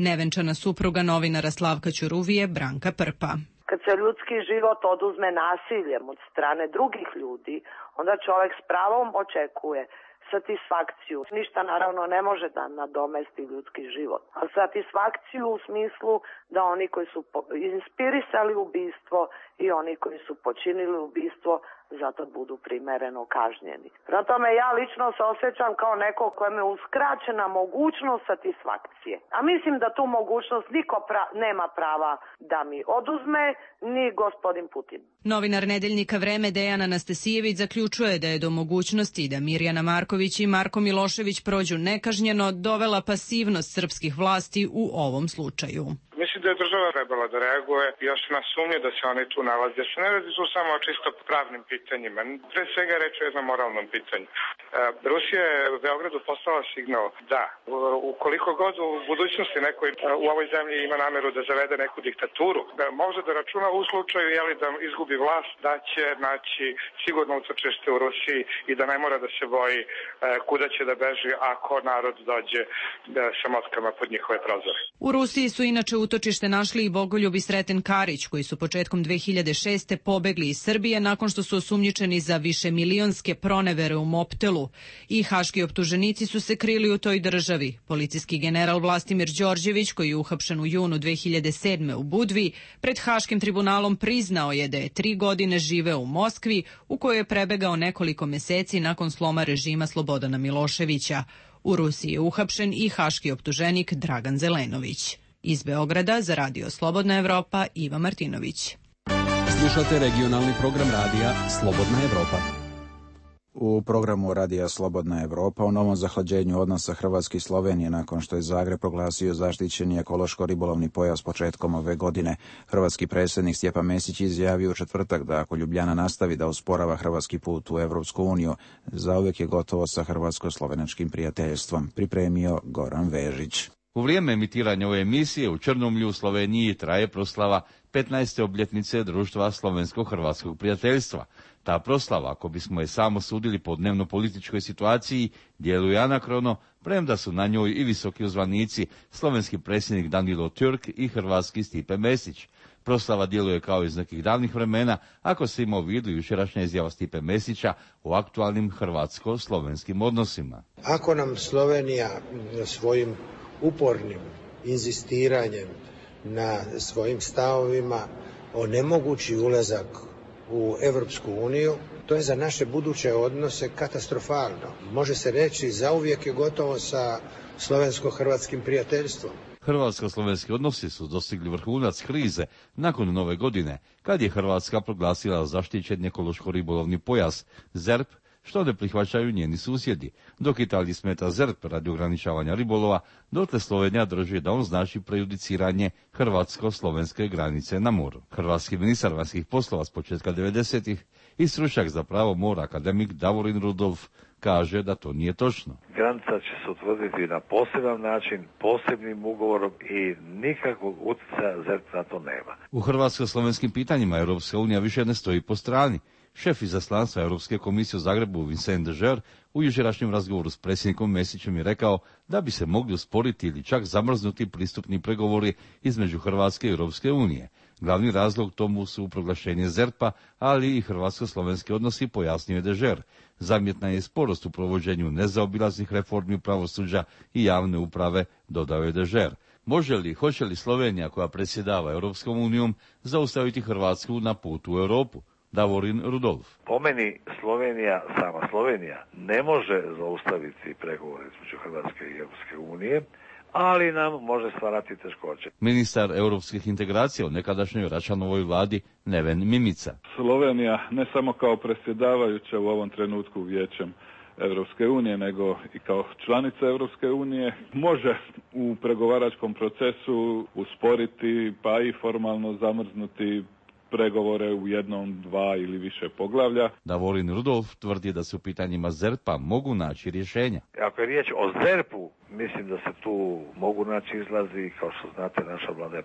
Nevenčana supruga novinara Slavka Ćuruvije, Branka Prpa. Kad se ljudski život oduzme nasiljem od strane drugih ljudi, onda čovjek s pravom očekuje satisfakciju. Ništa naravno ne može da nadomesti ljudski život. A satisfakciju u smislu da oni koji su inspirisali ubistvo i oni koji su počinili ubistvo zato budu primereno kažnjeni. Prema tome ja lično se osjećam kao neko kojem je uskraćena mogućnost satisfakcije. A mislim da tu mogućnost niko nema prava da mi oduzme, ni gospodin Putin. Novinar nedeljnika Vreme Dejan Anastasijević zaključuje da je do mogućnosti da Mirjana Marković i Marko Milošević prođu nekažnjeno dovela pasivnost srpskih vlasti u ovom slučaju. Mislim da je država trebala da reaguje i još na sumnje da se oni tu nalaze. Jer se ne radi tu samo o čisto pravnim pitanjima. Pre svega reč je o jednom moralnom pitanju. Rusija je u Beogradu poslala signal da ukoliko god u budućnosti neko u ovoj zemlji ima nameru da zavede neku diktaturu, da može da računa u slučaju da izgubi vlast, da će naći sigurno utočište u Rusiji i da ne mora da se boji kuda će da beži ako narod dođe sa motkama pod njihove prozore. U Rusiji su inače utočište našli i Bogoljub i Sreten Karić, koji su početkom 2006. pobegli iz Srbije nakon što su osumnjičeni za višemilionske pronevere u Moptelu. I haški optuženici su se krili u toj državi. Policijski general Vlastimir Đorđević, koji je uhapšen u junu 2007. u Budvi, pred Haškim tribunalom priznao je da je 3 godine živeo u Moskvi, u kojoj je prebegao nekoliko meseci nakon sloma režima Slobodana Miloševića. U Rusiji je uhapšen i haški optuženik Dragan Zelenović. Iz Beograda za Radio Slobodna Evropa, Iva Martinović. Slušate regionalni program radija Slobodna Evropa. U programu Radija Slobodna Evropa o novom zahlađenju odnosa Hrvatske i Slovenije nakon što je Zagreb proglasio zaštićeni ekološko-ribolovni pojas početkom ove godine. Hrvatski predsjednik Stjepan Mesić izjavio u četvrtak da ako Ljubljana nastavi da usporava hrvatski put u Evropsku uniju, zauvijek je gotovo sa hrvatsko-slovenačkim prijateljstvom, pripremio Goran Vežić. U vrijeme emitiranja ove emisije u Črnomlju u Sloveniji traje proslava 15. obljetnice društva Slovensko-hrvatskog prijateljstva. Ta proslava, ako bismo je samo sudili po dnevno-političkoj situaciji, djeluje anakrono, premda su na njoj i visoki uzvanici, slovenski predsjednik Danilo Türk i hrvatski Stipe Mesić. Proslava djeluje kao iz nekih davnih vremena, ako se ima u vidu jučerašnja izjava Stipe Mesića o aktualnim hrvatsko-slovenskim odnosima. Ako nam Slovenija svojim upornim inzistiranjem na svojim stavovima onemogući ulazak u Evropsku uniju, to je za naše buduće odnose katastrofalno. Može se reći zauvijek je gotovo sa slovensko-hrvatskim prijateljstvom. Hrvatsko-slovenski odnosi su dostigli vrhunac krize nakon Nove godine, kad je Hrvatska proglasila zaštićeni ekološko-ribolovni pojas ZERP, što ne prihvaćaju njeni susjedi. Dok Italiji smeta ZERP radi ograničavanja ribolova, dotle Slovenija drži da on znači prejudiciranje hrvatsko-slovenske granice na moru. Hrvatski ministar vanjskih poslova s početka 90-ih i stručnjak za pravo mora akademik Davorin Rudolf kaže da to nije točno. Granica će se utvrditi na poseban način, posebnim ugovorom i nikakvog utjecaja ZERP na to nema. U hrvatsko-slovenskim pitanjima Europska unija više ne stoji po strani. Šef izaslanstva Europske komisije u Zagrebu Vincent de Geer u jučerašnjem razgovoru s predsjednikom Mesićem je rekao da bi se mogli usporiti ili čak zamrznuti pristupni pregovori između Hrvatske i Europske unije. Glavni razlog tomu su proglašenje ZERP-a, ali i hrvatsko-slovenski odnosi, pojasnio je Dežer. Zamjetna je sporost u provođenju nezaobilaznih reformi pravosuđa i javne uprave, dodao je Dežer. Hoće li Slovenija, koja predsjedava Europskom unijom, zaustaviti Hrvatsku na putu u Europu? Davorin Rudolf. Po meni sama Slovenija ne može zaustaviti pregovore između Hrvatske i Europske unije, ali nam može stvarati teškoće. Ministar europskih integracija u nekadašnjoj Račanovoj vladi Neven Mimica. Slovenija ne samo kao predsjedavajuća u ovom trenutku Vijećem Europske unije, nego i kao članica Europske unije može u pregovaračkom procesu usporiti pa i formalno zamrznuti pregovore u jednom, dva ili više poglavlja. Davorin Rudolf tvrdi da se u pitanjima ZERP-a mogu naći rješenja. Ako je riječ o ZERP-u, mislim da se tu mogu naći izlazi. Kao što znate, naša vlada je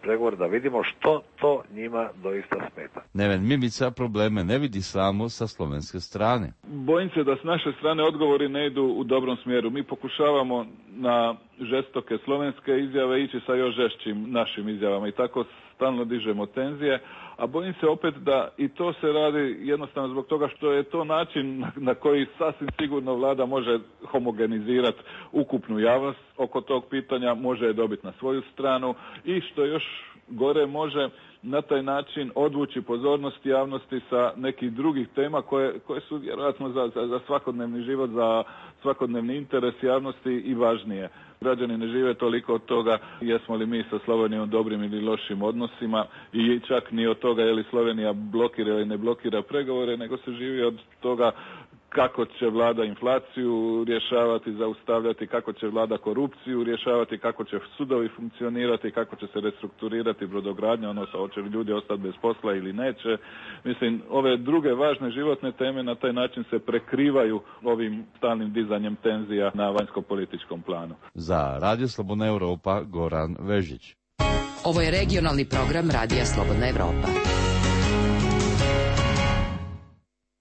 pregovore, da vidimo što to njima doista smeta. Neven Mimica probleme ne vidi samo sa slovenske strane. Bojim se da s naše strane odgovori ne idu u dobrom smjeru. Mi pokušavamo na žestoke slovenske izjave ići sa još žešćim našim izjavama i tako stalno dižemo tenzije, a bojim se opet da i to se radi jednostavno zbog toga što je to način na koji sasvim sigurno vlada može homogenizirati ukupnu javnost oko tog pitanja, može je dobiti na svoju stranu i što još gore može na taj način odvući pozornost javnosti sa nekih drugih tema koje su vjerojatno za svakodnevni život, za svakodnevni interes javnosti i važnije. Građani ne žive toliko od toga jesmo li mi sa Slovenijom u dobrim ili lošim odnosima i čak ni od toga je li Slovenija blokira ili ne blokira pregovore, nego se živi od toga kako će vlada inflaciju rješavati, zaustavljati, kako će vlada korupciju rješavati, kako će sudovi funkcionirati, kako će se restrukturirati brodogradnja, odnosno hoće li ljudi ostati bez posla ili neće. Mislim, ove druge važne životne teme na taj način se prekrivaju ovim stalnim dizanjem tenzija na vanjsko-političkom planu. Za Radio Slobodna Europa, Goran Vežić. Ovo je regionalni program Radija Slobodna Europa.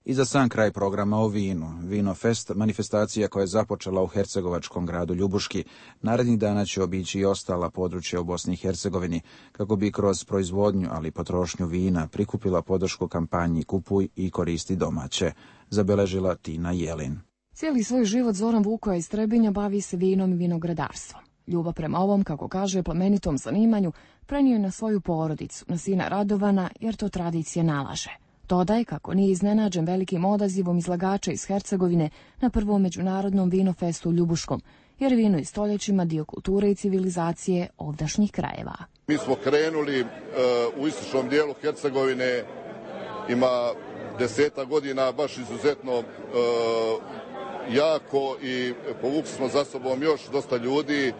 I za sam kraj programa o vinu. Vinofest, manifestacija koja je započela u hercegovačkom gradu Ljubuški, narednih dana će obići i ostala područja u Bosni i Hercegovini, kako bi kroz proizvodnju, ali i potrošnju vina prikupila podršku kampanji Kupuj i koristi domaće, zabeležila Tina Jelin. Cijeli svoj život Zoran Vukoja iz Trebinja bavi se vinom i vinogradarstvom. Ljubav prema ovom, kako kaže, plemenitom zanimanju prenio je na svoju porodicu, na sina Radovana, jer to tradicija nalaže. Dodaj kako nije iznenađen velikim odazivom izlagača iz Hercegovine na prvom međunarodnom vinofestu u Ljubuškom, jer vino je stoljećima dio kulture i civilizacije ovdašnjih krajeva. Mi smo krenuli u istočnom dijelu Hercegovine, ima 10 godina baš izuzetno jako i povukli smo za sobom još dosta ljudi,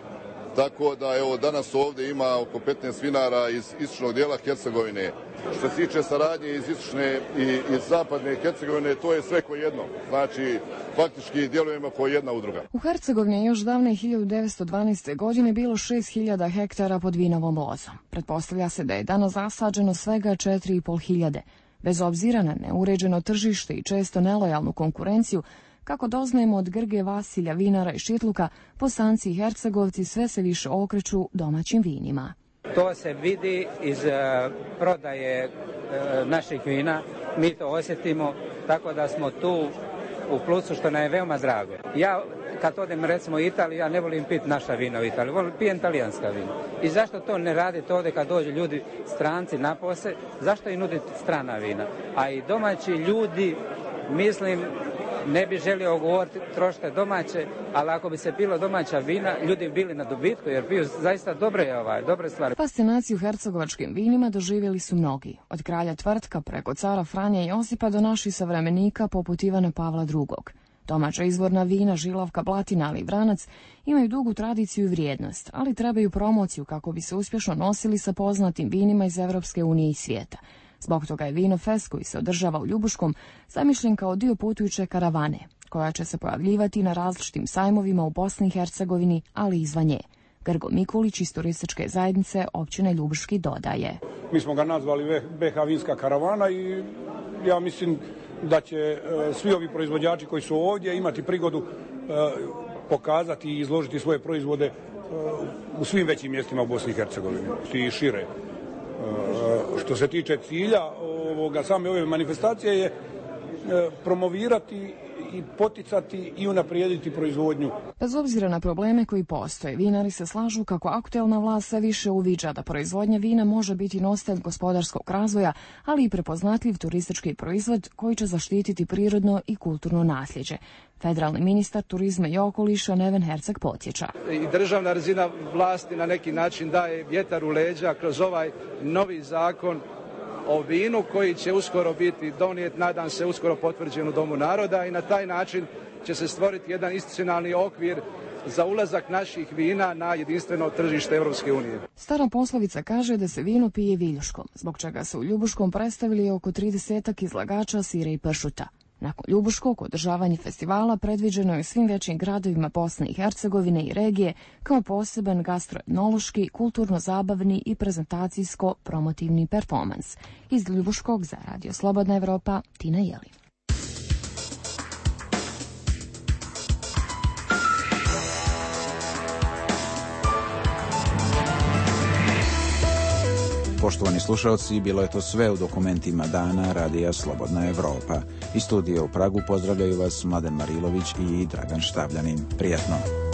tako da evo danas ovdje ima oko 15 vinara iz istočnog dijela Hercegovine. Što se tiče saradnje iz istočne i iz zapadne Hercegovine, to je sve ko jedno. Znači, faktički djelujemo kao jedna udruga. U Hercegovini je još davne 1912. godine bilo 6.000 hektara pod vinovom lozom. Pretpostavlja se da je danas zasađeno svega 4.500. Bez obzira na neuređeno tržište i često nelojalnu konkurenciju, kako doznajemo od Grge Vasilja, vinara i Šitluka, Bosanci i Hercegovci sve se više okreću domaćim vinima. To se vidi iz prodaje naših vina, mi to osjetimo, tako da smo tu u plusu, što nam je veoma drago. Ja kad odem recimo u Italiju, ja ne volim piti naša vina u Italiji, pijem talijanska vina. I zašto to ne radite ovdje kad dođu ljudi, stranci napose, zašto im nuditi strana vina? A i domaći ljudi, mislim, ne bi želio govoriti trošite domaće, ali ako bi se pilo domaća vina, ljudi bi bili na dobitku jer piju zaista dobre stvari. Fascinaciju hercegovačkim vinima doživjeli su mnogi, od kralja Tvrtka preko cara Franje Josipa do naših savremenika poput Ivana Pavla II. Domaća izvorna vina, Žilavka, Blatina, ali i Vranac imaju dugu tradiciju i vrijednost, ali trebaju promociju kako bi se uspješno nosili sa poznatim vinima iz Evropske unije i svijeta. Zbog toga je Vinofest, koji se održava u Ljubuškom, zamišljen kao dio putujuće karavane, koja će se pojavljivati na različitim sajmovima u Bosni i Hercegovini, ali i izvan nje. Grgo Mikulić iz turističke zajednice općine Ljubuški dodaje. Mi smo ga nazvali BH vinska karavana i ja mislim da će svi ovi proizvođači koji su ovdje imati prigodu pokazati i izložiti svoje proizvode u svim većim mjestima u Bosni i Hercegovini i šire. Što se tiče cilja same ove manifestacije je promovirati i poticati i unaprijediti proizvodnju. Bez obzira na probleme koji postoje, vinari se slažu kako aktuelna vlast sve više uviđa da proizvodnja vina može biti nositelj gospodarskog razvoja, ali i prepoznatljiv turistički proizvod koji će zaštititi prirodno i kulturno nasljeđe. Federalni ministar turizma i okoliša Neven Herceg podsjeća. I državna razina vlasti na neki način daje vjetar u leđa kroz ovaj novi zakon o vinu koji će uskoro biti donijet, nadam se uskoro potvrđen u Domu naroda, i na taj način će se stvoriti jedan institucionalni okvir za ulazak naših vina na jedinstveno tržište Europske unije. Stara poslovica kaže da se vino pije viljuškom, zbog čega se u Ljubuškom predstavili oko 30 izlagača sira i pršuta. Nakon Ljubuškog održavanje festivala predviđeno je u svim većim gradovima Bosne i Hercegovine i regije kao poseban gastroetnološki, kulturno-zabavni i prezentacijsko-promotivni performans. Iz Ljubuškog za Radio Slobodna Evropa, Tina Jelin. Poštovani slušalci, bilo je to sve u dokumentima dana Radija Slobodna Evropa. Iz studija u Pragu pozdravljaju vas Mladen Marilović i Dragan Štavljanin. Prijatno!